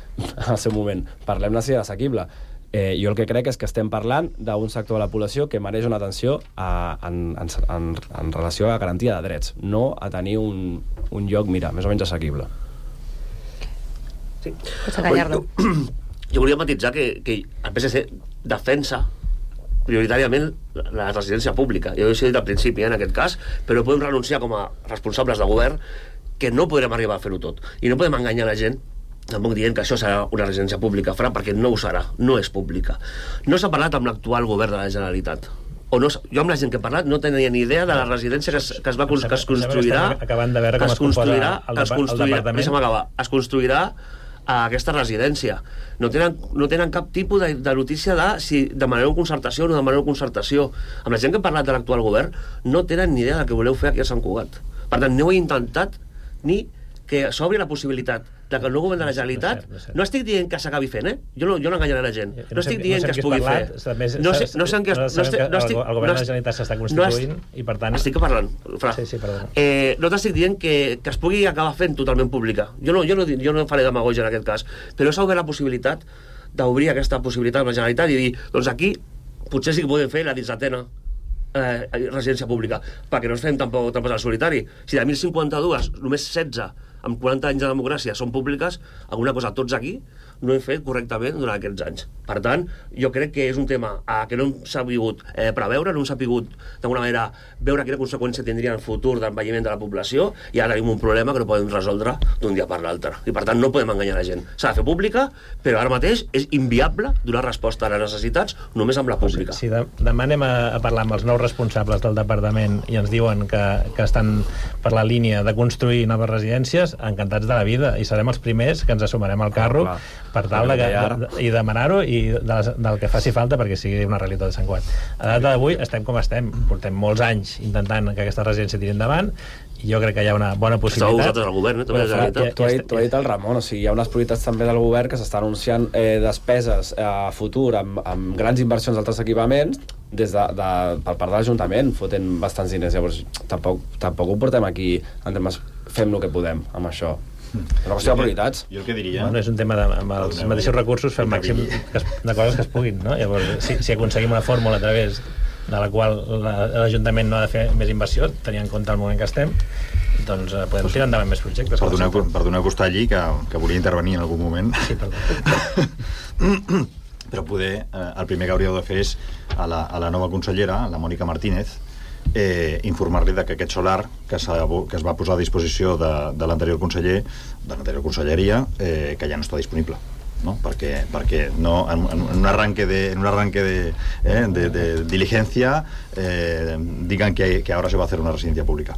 [SPEAKER 2] al seu moment, parlem-ne si era assequible. Jo el que crec és que estem parlant d'un sector de la població que mereix una atenció en relació a garantia de drets, no a tenir un lloc, mira, més o menys assequible.
[SPEAKER 20] Sí. Jo volia matitzar que el PSC defensa prioritàriament la residència pública. Jo ho he dit al principi, en aquest cas, però podem renunciar com a responsables de govern que no podrem arribar a fer-ho tot. I no podem enganyar la gent tampoc dient que això serà una residència pública, perquè no ho serà, no és pública. No s'ha parlat amb l'actual govern de la Generalitat. Jo amb la gent que he parlat no tenia ni idea de la residència que es construirà
[SPEAKER 19] acabant de veure com es composa el departament.
[SPEAKER 20] Es construirà a aquesta residència. No tenen cap tipus de notícia de si demanareu concertació o no demanareu concertació. Amb la gent que he parlat de l'actual govern no tenen ni idea del que voleu fer aquí a Sant Cugat. Per tant, no heu intentat ni que s'obri la possibilitat de que el nou govern de la Generalitat... No estic dient que s'acabi fent, Jo no enganyaré la gent. No estic dient que es pugui fer.
[SPEAKER 19] No sé en què... El govern de la Generalitat s'està constituint i, per tant...
[SPEAKER 20] Estic parlant, Fra.
[SPEAKER 19] Sí, perdona.
[SPEAKER 20] No t'estic dient que es pugui acabar fent totalment pública. Jo no faré demagògia en aquest cas. Però s'ha obert la possibilitat d'obrir aquesta possibilitat amb la Generalitat i dir, doncs aquí potser sí que podem fer la dissetena residència pública, perquè no ens fem tampoc trampes al solitari. Si de 1.052, només 16 amb 40 anys de democràcia són públiques, alguna cosa tots aquí no hem fet correctament durant aquests anys. Per tant, jo crec que és un tema que no hem sabut preveure, no hem sabut d'alguna manera veure quina conseqüència tindria en el futur d'envelliment de la població, i ara tenim un problema que no podem resoldre d'un dia per l'altre. I per tant no podem enganyar la gent. S'ha de fer pública, però ara mateix és inviable donar resposta a les necessitats només amb la pública.
[SPEAKER 19] Si demà anem a parlar amb els nous responsables del departament i ens diuen que estan per la línia de construir noves residències, encantats de la vida, i serem els primers que ens assumirem al carro per tal de demanar-ho i del que faci falta perquè sigui una realitat de Sant Cugat. A data d'avui estem com estem, portem molts anys intentant que aquesta residència tiri endavant i jo crec que hi ha una bona possibilitat.
[SPEAKER 20] Esteu vosaltres al govern,
[SPEAKER 2] T'ho ha dit el Ramon, o sigui, hi ha unes prioritats també del govern que s'estan anunciant despeses a futur amb grans inversions d'altres equipaments per part de l'Ajuntament, fotent bastants diners. Llavors tampoc ho portem aquí en termes fem el que podem amb això. És una qüestió de prioritats.
[SPEAKER 21] Jo el que diria...
[SPEAKER 19] Bueno, és un tema amb els mateixos recursos fer el màxim de coses que es puguin, no? Llavors, si aconseguim una fórmula a través de la qual l'Ajuntament no ha de fer més inversió, tenint en compte el moment que estem, doncs podem tirar endavant més projectes.
[SPEAKER 21] Perdoneu que està allí, que volia intervenir en algun moment.
[SPEAKER 19] Sí, perdó.
[SPEAKER 21] Però poder, el primer que hauríeu de fer és a la nova consellera, la Mònica Martínez, informar-li que aquest solar que es va posar a disposició de l'anterior conseller, de l'anterior conselleria, que ja no està disponible, ¿no? Perquè no, en un arranque de diligencia digan que ahora se va a hacer una residencia pública,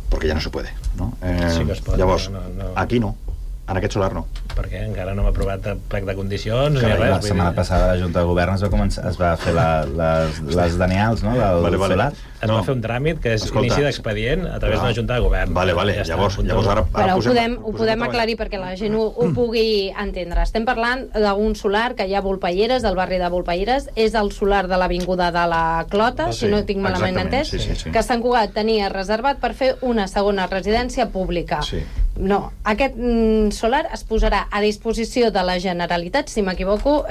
[SPEAKER 21] porque ya no se puede, ¿no?
[SPEAKER 19] Sí que es pot,
[SPEAKER 21] llavors, aquí no, en aquest solar no,
[SPEAKER 19] perquè encara no hem aprovat el plec de condicions ni res.
[SPEAKER 1] La setmana passada la Junta de Govern es va fer les denials, no? Del solar.
[SPEAKER 19] Es va fer un tràmit que és inici d'expedient a través d'una Junta de Govern.
[SPEAKER 21] Llavors ara
[SPEAKER 16] però ho podem aclarir perquè la gent ho pugui entendre. Estem parlant d'un solar que hi ha a Volpelleres, del barri de Volpelleres, és el solar de l'Avinguda de la Clota, si no tinc malament entès, que Sant Cugat tenia reservat per fer una segona residència pública. No, aquest solar es posarà a disposició de la Generalitat, si m'equivoco,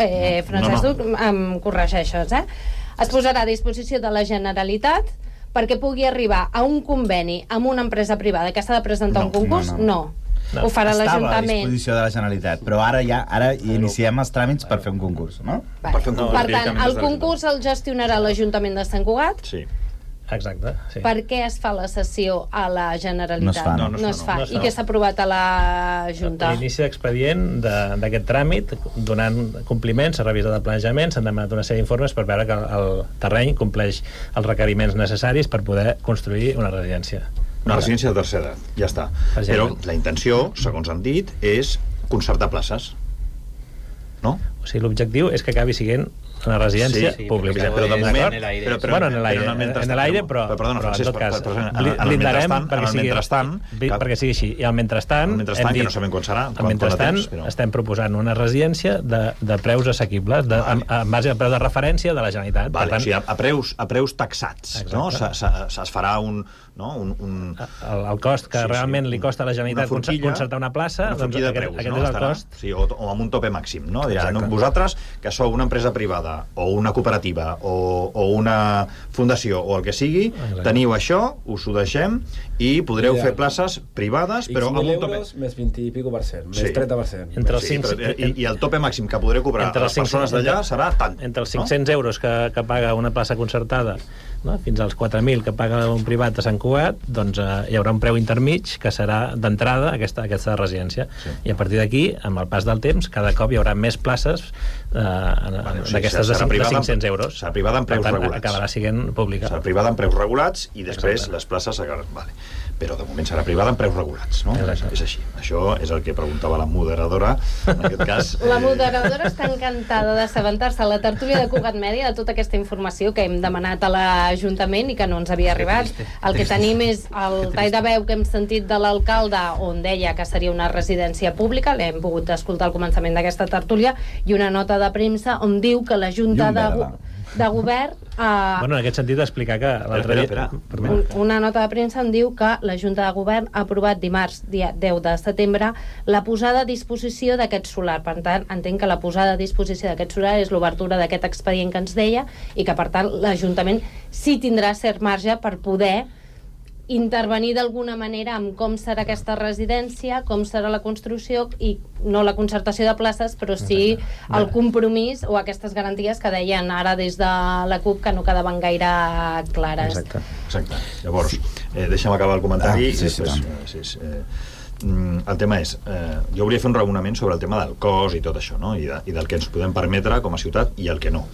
[SPEAKER 16] Francesc Duc, em corregeixes, es posarà a disposició de la Generalitat perquè pugui arribar a un conveni amb una empresa privada que s'ha de presentar un concurs? No. Ho farà l'Ajuntament.
[SPEAKER 1] Estava a disposició de la Generalitat, però ara iniciem els tràmits per fer un concurs, no?
[SPEAKER 16] Per tant, el concurs el gestionarà l'Ajuntament de Sant Cugat?
[SPEAKER 21] Sí.
[SPEAKER 19] Exacte, sí.
[SPEAKER 16] Per què es fa la cessió a la Generalitat?
[SPEAKER 1] No es fa.
[SPEAKER 16] I què s'ha aprovat a la Junta?
[SPEAKER 19] L'inici d'expedient d'aquest tràmit, donant compliment, s'ha revisat el planejament, s'han demanat una sèrie d'informes per veure que el terreny compleix els requeriments necessaris per poder construir una residència.
[SPEAKER 21] Una residència de tercera edat, ja està. Però la intenció, segons han dit, és concertar places. No?
[SPEAKER 19] O sigui, l'objectiu és que acabi sent una residència pública.
[SPEAKER 21] Però de moment...
[SPEAKER 19] Bueno, en l'aire, però
[SPEAKER 21] perdona, Francesc,
[SPEAKER 19] en tot cas,
[SPEAKER 21] en
[SPEAKER 19] blindarem
[SPEAKER 21] perquè
[SPEAKER 19] sigui així. I al mentrestant,
[SPEAKER 21] que no sabem quan serà,
[SPEAKER 19] al mentrestant estem proposant una residència de preus assequibles, en base al preu de referència de la Generalitat.
[SPEAKER 21] O sigui, a preus taxats. Es farà
[SPEAKER 19] el cost que realment li costa a la Generalitat concertar una plaça,
[SPEAKER 21] doncs aquest
[SPEAKER 19] és el cost.
[SPEAKER 21] O amb un tope màxim. Vosaltres, que sou una empresa privada o una cooperativa o una fundació o el que sigui, teniu això, us ho deixem i podreu fer places privades, però amb un tope...
[SPEAKER 2] més 20 i pico %, més 30%.
[SPEAKER 21] I el tope màxim que podreu cobrar a les persones d'allà serà tant.
[SPEAKER 19] Entre els 500 euros que paga una plaça concertada fins als 4.000 que paga un privat a Sant Cugat, doncs hi haurà un preu intermig que serà d'entrada aquesta residència. I a partir d'aquí, amb el pas del temps, cada cop hi haurà més places d'aquestes de 500 euros.
[SPEAKER 21] Serà privada amb preus regulats.
[SPEAKER 19] Acabarà sent pública.
[SPEAKER 21] Serà privada amb preus regulats i després les places... Però de moment serà privada amb preus regulats, no? És així. Això és el que preguntava la moderadora, en aquest cas...
[SPEAKER 16] La moderadora està encantada d'assabentar-se a la tertúlia de Cugat Mèdia de tota aquesta informació que hem demanat a l'Ajuntament i que no ens havia arribat. El que tenim és el tall de veu que hem sentit de l'alcalde on deia que seria una residència pública, l'hem pogut escoltar al començament d'aquesta tertúlia, i una nota de premsa on diu que la Junta de Govern...
[SPEAKER 19] Bueno, en aquest sentit, explicar que...
[SPEAKER 16] Una nota de premsa on diu que la Junta de Govern ha aprovat dimarts, dia 10 de setembre, la posada a disposició d'aquest solar. Per tant, entenc que la posada a disposició d'aquest solar és l'obertura d'aquest expedient que ens deia i que, per tant, l'Ajuntament sí tindrà cert marge per poder intervenir d'alguna manera amb com serà aquesta residència, com serà la construcció i no la concertació de places, però sí el compromís o aquestes garanties que deien ara des de la CUP que no quedaven gaire clares.
[SPEAKER 21] Exacte. Llavors, deixa'm acabar el comentari. El tema és, jo volia fer un raonament sobre el tema del cost i tot això, no? I del que ens podem permetre com a ciutat i el que no.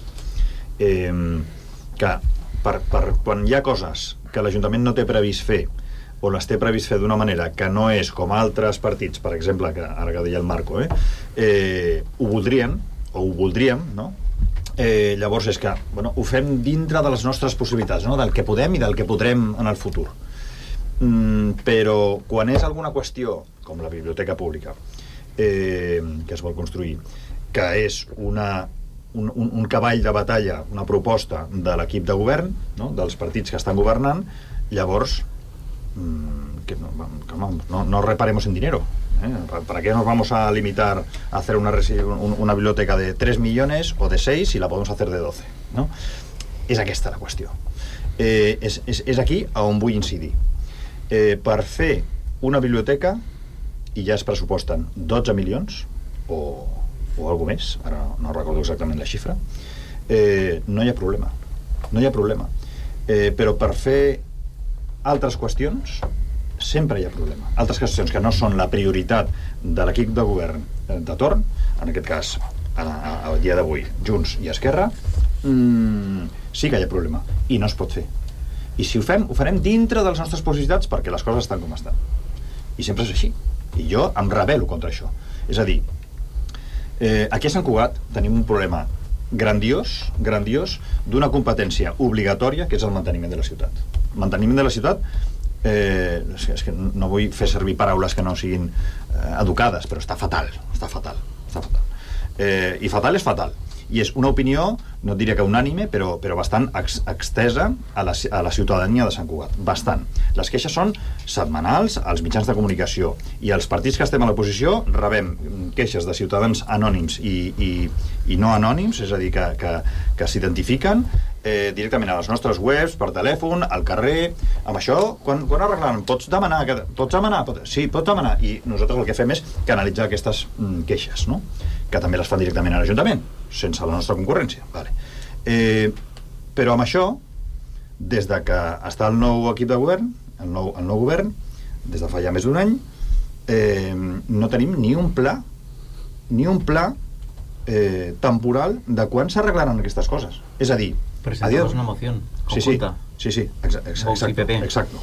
[SPEAKER 21] Que quan hi ha coses que l'Ajuntament no té previst fer o les té previst fer d'una manera que no és com altres partits, per exemple, que ara que deia el Marco, ho voldrien, o ho voldríem, no? Llavors és que ho fem dintre de les nostres possibilitats, no? Del que podem i del que podrem en el futur. Però quan és alguna qüestió, com la biblioteca pública, que es vol construir, que és un cavall de batalla, una proposta de l'equip de govern, no? Dels partits que estan governant, llavors no reparemos en dinero. ¿Para qué nos vamos a limitar a hacer una biblioteca de 3 millones o de 6 si la podemos hacer de 12? No? És aquesta la qüestió. És aquí on vull incidir. Per fer una biblioteca, i ja es pressuposten 12 milions o alguna més, ara no recordo exactament la xifra, no hi ha problema. Però per fer altres qüestions sempre hi ha problema. Altres qüestions que no són la prioritat de l'equip de govern de torn, en aquest cas al dia d'avui, Junts i Esquerra, sí que hi ha problema i no es pot fer. I si ho fem, ho farem dintre de les nostres possibilitats perquè les coses estan com estan. I sempre és així. I jo em rebel·lo contra això. És a dir, aquí a Sant Cugat tenim un problema grandiós d'una competència obligatòria que és el manteniment de la ciutat. Manteniment de la ciutat, és que no vull fer servir paraules que no siguin educades, però està fatal. I fatal és fatal. I és una opinió, no diria que unànime, però bastant extesa a la ciutadania de Sant Cugat. Bastant. Les queixes són setmanals als mitjans de comunicació i els partits que estem a l'oposició rebem queixes de ciutadans anònims i no anònims, és a dir, que s'identifiquen directament a les nostres webs, per telèfon, al carrer. Amb això, quan arreglaran? Pots demanar? Sí, pots demanar. I nosaltres el que fem és canalitzar aquestes queixes, no? Que també les fan directament a l'Ajuntament, sense la nostra concurrència. Però amb això des de que està el nou equip de govern, el nou govern, des de fa ja més d'un any, no tenim ni un pla temporal de quan s'arreglaran aquestes coses. És a dir,
[SPEAKER 22] presentamos una moción conjunta.
[SPEAKER 21] Sí, exacto.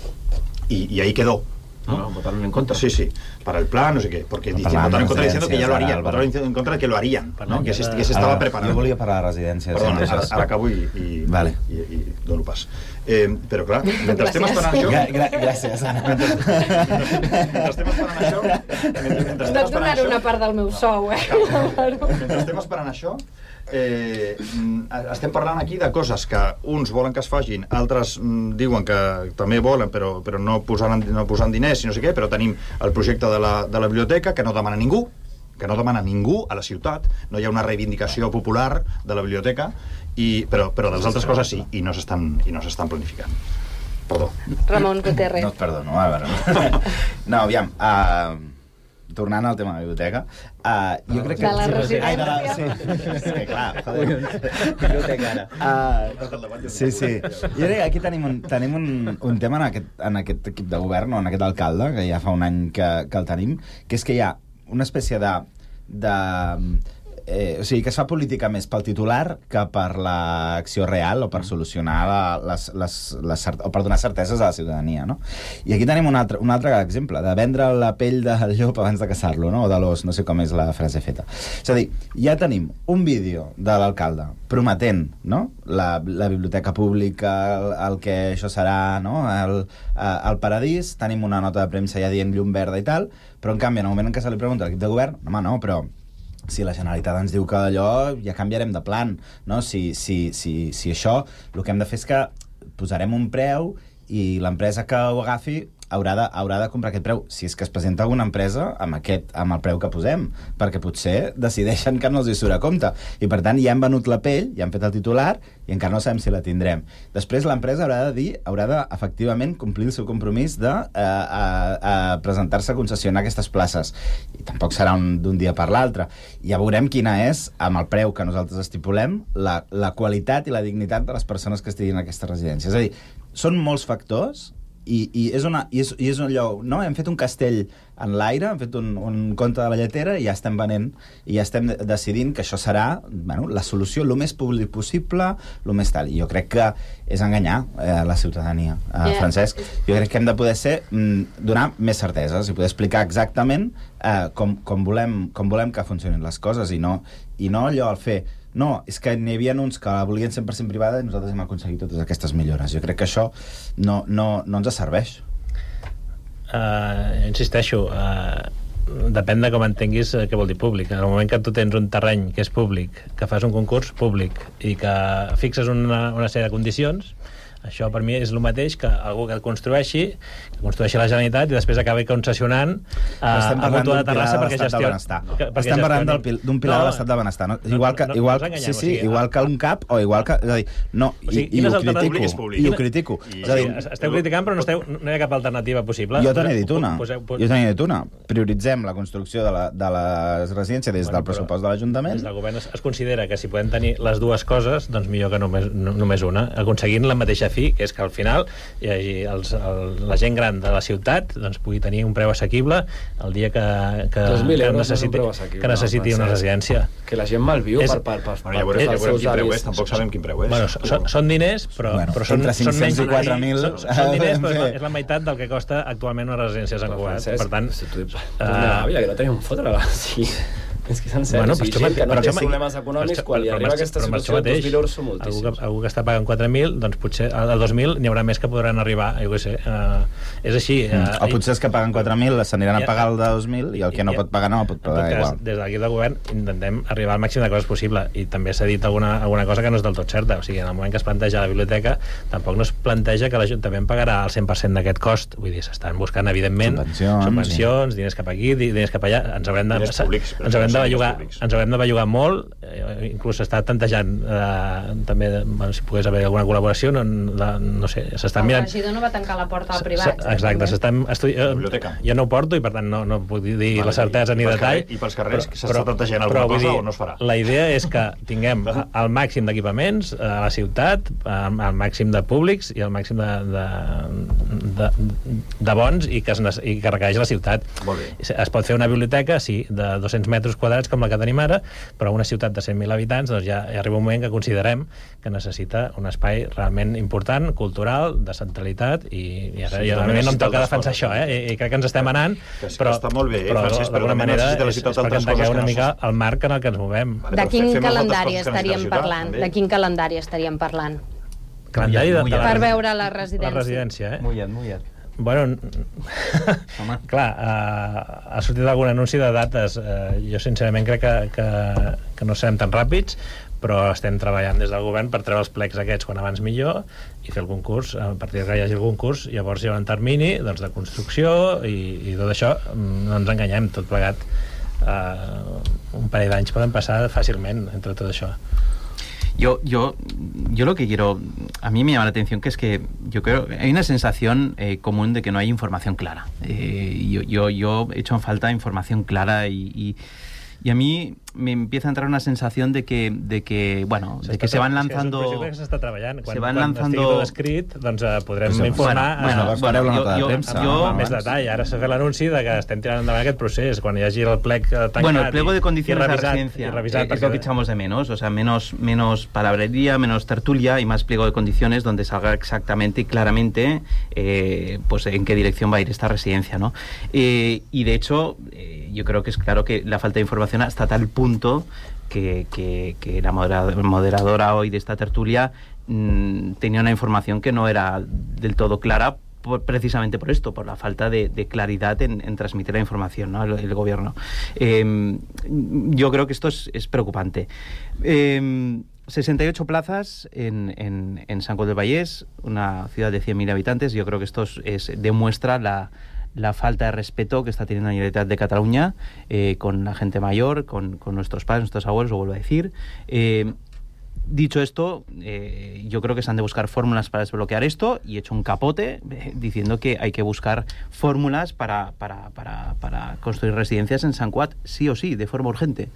[SPEAKER 21] Y ahí quedó.
[SPEAKER 22] ¿no? Votaron en contra.
[SPEAKER 21] Sí, para el plan, no sé qué, porque votaron en contra diciendo que ya lo harían, votaron en contra de que lo harían, ¿no? Que se estaba preparando.
[SPEAKER 1] Jo volia parlar de residències.
[SPEAKER 21] Perdona, ara acabo i dono pas. Però clar, mentre estem esperant això...
[SPEAKER 1] Gràcies, Anna.
[SPEAKER 21] Mentre estem esperant això...
[SPEAKER 16] No et donaré una part del meu sou,
[SPEAKER 21] Mentre estem esperant això, estem parlant aquí de coses que uns volen que es facin, altres diuen que també volen però no posant diners i no sé què, però tenim el projecte de la biblioteca que no demana ningú a la ciutat, no hi ha una reivindicació popular de la biblioteca, però de les altres coses sí, i no s'estan planificant. Perdó.
[SPEAKER 16] Ramon Gutiérrez.
[SPEAKER 1] No et perdono, a veure. No, aviam, tornant al tema de la biblioteca, jo crec que...
[SPEAKER 16] De la residència.
[SPEAKER 1] Sí, que clar, joder. Biblioteca ara. Sí. Jo crec que aquí tenim un tema en aquest equip de govern, o en aquest alcalde, que ja fa un any que el tenim, que és que hi ha una espècie o sigui, que es fa política més pel titular que per l'acció real o per solucionar o per donar certeses a la ciutadania, no? I aquí tenim un altre exemple, de vendre la pell del llop abans de caçar-lo, no? O de l'os, no sé com és la frase feta. És a dir, ja tenim un vídeo de l'alcalde prometent, no?, la biblioteca pública, el que això serà, no?, el paradís, tenim una nota de premsa ja dient llum verda i tal, però en canvi, en el moment en què se li pregunta a l'equip de govern, home, no, però si la Generalitat ens diu que allò ja canviarem de plan, no? Si això, el que hem de fer és que posarem un preu i l'empresa que ho agafi haurà de comprar aquest preu, si és que es presenta alguna empresa amb el preu que posem, perquè potser decideixen que no els hi surt a compte, i per tant ja hem venut la pell, ja hem fet el titular i encara no sabem si la tindrem. Després l'empresa haurà de efectivament complir el seu compromís de presentar-se a concessionar aquestes places, i tampoc serà d'un dia per l'altre. Ja veurem quina és, amb el preu que nosaltres estipulem, la qualitat i la dignitat de les persones que estiguin en aquesta residència. És a dir, són molts factors i és un lloc, no? Hem fet un castell en l'aire, hem fet un conte de la lletera i ja estem venent i ja estem decidint que això serà, bueno, la solució el més públic possible, el més tal. I jo crec que és enganyar la ciutadania, Francesc. Jo crec que hem de poder donar més certeses i poder explicar exactament com volem que funcionin les coses i no allò al fer. No, és que n'hi havia uns que la volien 100% privada i nosaltres hem aconseguit totes aquestes millores. Jo crec que això no ens serveix.
[SPEAKER 19] Insisteixo, depèn de com entenguis què vol dir públic. En el moment que tu tens un terreny que és públic, que fas un concurs públic i que fixes una sèrie de condicions, això per mi és el mateix que algú que construeixi la Generalitat i després acabi concessionant a Mutua de Terrassa perquè gestioni.
[SPEAKER 1] Estem parlant d'un pilar de l'estat del benestar. Igual que un CAP o igual que... És a dir, no, i ho critico.
[SPEAKER 19] Esteu criticant però no hi ha cap alternativa possible.
[SPEAKER 1] Jo te n'he dit una. Prioritzem la construcció de les residències des del pressupost de l'Ajuntament.
[SPEAKER 19] Des del govern es considera que si podem tenir les dues coses, doncs millor que només una, aconseguint la mateixa fi, que és que al final hi hagi la gent gran de la ciutat doncs pugui tenir un preu assequible el dia que necessiti una residència.
[SPEAKER 2] Que la gent malviu per
[SPEAKER 21] ja veurem quin preu és, tampoc sabem quin preu és.
[SPEAKER 19] Bueno, són diners, però són menys.
[SPEAKER 1] Entre 4.000...
[SPEAKER 19] Són diners, però és la meitat del que costa actualment una residència a Sant Cugat. Per tant...
[SPEAKER 2] Que no tenim un fotre, sí. És que és en sèrio, gent que no té problemes econòmics, quan li arriba aquesta situació, els valors són moltíssims.
[SPEAKER 19] Algú que està pagant 4.000, doncs potser al 2.000 n'hi haurà més que podran arribar, jo què sé. És així.
[SPEAKER 1] O potser els que paguen 4.000 s'aniran a pagar el de 2.000 i el que no pot pagar no pot pagar igual.
[SPEAKER 19] Des d'aquí del govern intentem arribar al màxim de coses possible, i també s'ha dit alguna cosa que no és del tot certa. O sigui, en el moment que es planteja la biblioteca, tampoc no es planteja que l'Ajuntament pagarà el 100% d'aquest cost. Vull dir, s'estan buscant, evidentment, subvencions, diners cap aquí, diners cap allà. Ens haurem de de bellugar molt, inclús s'està tantejant també, si pogués haver alguna col·laboració, no sé, s'estan mirant...
[SPEAKER 16] El regidor no va tancar la porta al privat.
[SPEAKER 19] Exacte, s'estan estudiant... Jo no ho porto i per tant no puc dir la certesa ni detall.
[SPEAKER 21] I pels carrers s'està tantejant alguna cosa o no es farà?
[SPEAKER 19] La idea és que tinguem el màxim d'equipaments a la ciutat, el màxim de públics i el màxim de bons i que requereix la ciutat. Es pot fer una biblioteca, sí, de 200 metres quadrats com la que tenim ara, però una ciutat de 100.000 habitants doncs ja arriba un moment que considerem que necessita un espai realment important, cultural, de centralitat, i ara no em toca defensar això, i crec que ens estem anant, però d'alguna manera és perquè entengueu una mica el marc en el que ens movem.
[SPEAKER 16] De quin calendari estaríem parlant? De quin calendari estaríem parlant? Per veure la residència.
[SPEAKER 19] La residència,
[SPEAKER 22] Mullat.
[SPEAKER 19] Bueno, clar, ha sortit algun anunci de dates. Jo sincerament crec que no serem tan ràpids, però estem treballant des del govern per treure els plecs aquests quan abans millor i fer el concurs. A partir que hi hagi el concurs, llavors hi ha un termini doncs, de construcció i tot això. No ens enganyem, tot plegat. Un parell d'anys poden passar fàcilment entre tot això.
[SPEAKER 22] Yo lo que quiero, a mí me llama la atención que es que yo creo que hay una sensación común de que no hay información clara. Yo he hecho en falta información clara y a mí me empieza a entrar una sensación de que se van lanzando...
[SPEAKER 19] És un projecte que s'està treballant.
[SPEAKER 22] Quan
[SPEAKER 19] estigui tot escrit, doncs podrem informar més detall. Ara s'ha fet l'anunci de que estem tirant endavant aquest procés. Quan hi hagi el plec tancat
[SPEAKER 22] el pliego de condiciones de la residencia es lo que echamos de menos. O sea, menos palabrería, menos tertulia y más pliego de condiciones donde salga exactamente y claramente pues en qué dirección va a ir esta residencia, ¿no? Y de hecho, yo creo que es claro que la falta de información hasta tal punto que la moderadora hoy de esta tertulia tenía una información que no era del todo clara precisamente por esto, por la falta de claridad en transmitir la información, ¿no? el gobierno. Yo creo que esto es preocupante. 68 plazas en Sant Cugat del Vallès, una ciudad de 100.000 habitantes. Yo creo que esto demuestra la falta de respeto que está teniendo la Generalitat de Cataluña con la gente mayor, con nuestros padres, nuestros abuelos, lo vuelvo a decir. Dicho esto, yo creo que se han de buscar fórmulas para desbloquear esto y he hecho un capote diciendo que hay que buscar fórmulas para construir residencias en Sant Cugat sí o sí, de forma urgente.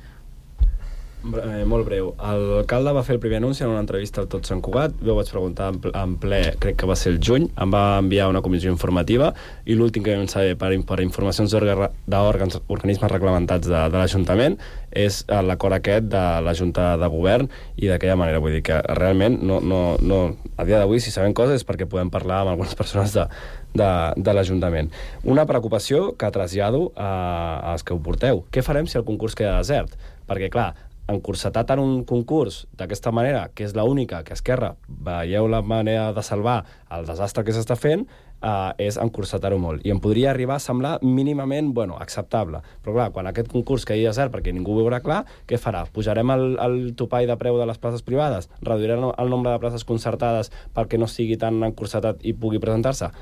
[SPEAKER 2] Molt breu. L'alcalde va fer el primer anunci en una entrevista al Tot Sant Cugat. Jo vaig preguntar en ple, crec que va ser el juny, em va enviar una comissió informativa i l'últim que vam saber per informacions d'organismes reglamentats de l'Ajuntament és l'acord aquest de la Junta de Govern i d'aquella manera. Vull dir que realment a dia d'avui, si sabem coses és perquè podem parlar amb algunes persones de l'Ajuntament. Una preocupació que trasllado als que ho porteu. Què farem si el concurs queda desert? Perquè, clar, encursetar tant un concurs d'aquesta manera, que és l'única que Esquerra veieu la manera de salvar el desastre que s'està fent, és encursetar-ho molt. I em podria arribar a semblar mínimament, acceptable. Però clar, quan aquest concurs quedi desert perquè ningú ho veurà clar, què farà? Pujarem el topall de preu de les places privades? Reduirem el nombre de places concertades perquè no sigui tan encursetat i pugui presentar-se?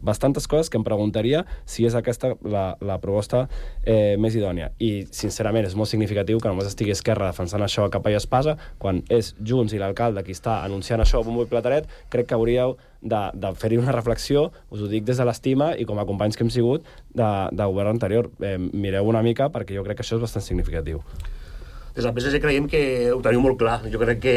[SPEAKER 2] Bastantes coses que em preguntaria si és aquesta la proposta més idònia. I, sincerament, és molt significatiu que només estigui Esquerra defensant això a capa i espasa, quan és Junts i l'alcalde qui està anunciant això a bombo i plateret. Crec que hauríeu de fer-hi una reflexió, us ho dic des de l'estima i com a companys que hem sigut de govern anterior. Mireu una mica perquè jo crec que això és bastant significatiu.
[SPEAKER 20] Des del PSC creiem que ho teniu molt clar. Jo crec que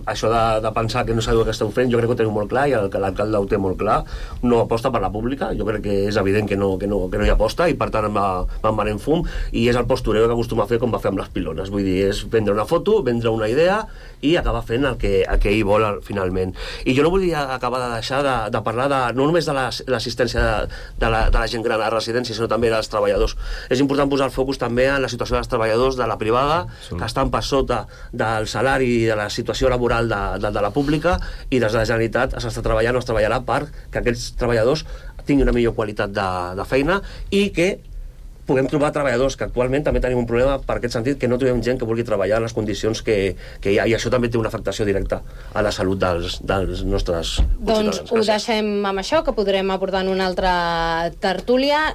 [SPEAKER 20] això de pensar que no sabeu què esteu fent, jo crec que ho teniu molt clar i l'alcalde ho té molt clar. No aposta per la pública, jo crec que és evident que no hi aposta i per tant me'n van en fum i és el postureo que acostuma a fer com va fer amb les pilones. Vull dir, és vendre una foto, vendre una idea i acabar fent el que ell vol finalment. I jo no volia acabar de deixar de parlar no només de l'assistència de la gent gran a la residència, sinó també dels treballadors. És important posar el focus també en la situació dels treballadors de la privada, que estan per sota del salari i de la situació laboral de la pública, i des de la Generalitat s'està treballant o es treballarà per que aquests treballadors tinguin una millor qualitat de feina i que puguem trobar treballadors, que actualment també tenim un problema per aquest sentit, que no trobem gent que vulgui treballar en les condicions que hi ha, i això també té una afectació directa a la salut dels nostres
[SPEAKER 16] Doncs ho deixem amb això, que podrem abordar en una altra tertúlia.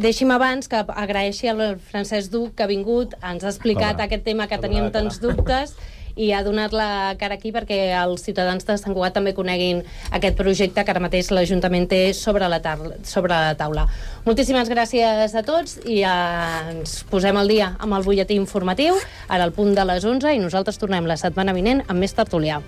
[SPEAKER 16] Deixi'm abans que agraeixi al Francesc Duc que ha vingut, ens ha explicat aquest tema que teníem tants dubtes i ha donat la cara aquí perquè els ciutadans de Sant Cugat també coneguin aquest projecte que ara mateix l'Ajuntament té sobre la taula. Moltíssimes gràcies a tots i ens posem al dia amb el butlletí informatiu, ara al punt de les 11, i nosaltres tornem la setmana vinent amb més tertúlia.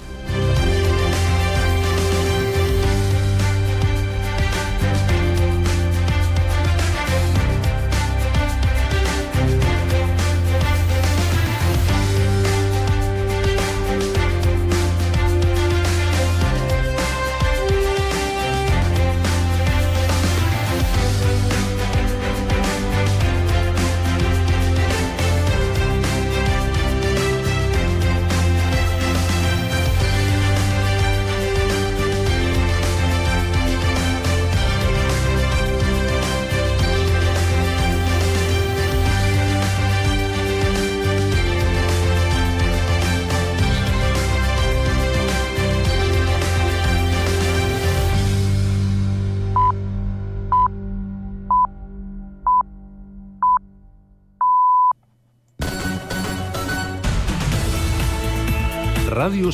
[SPEAKER 5] Ràdio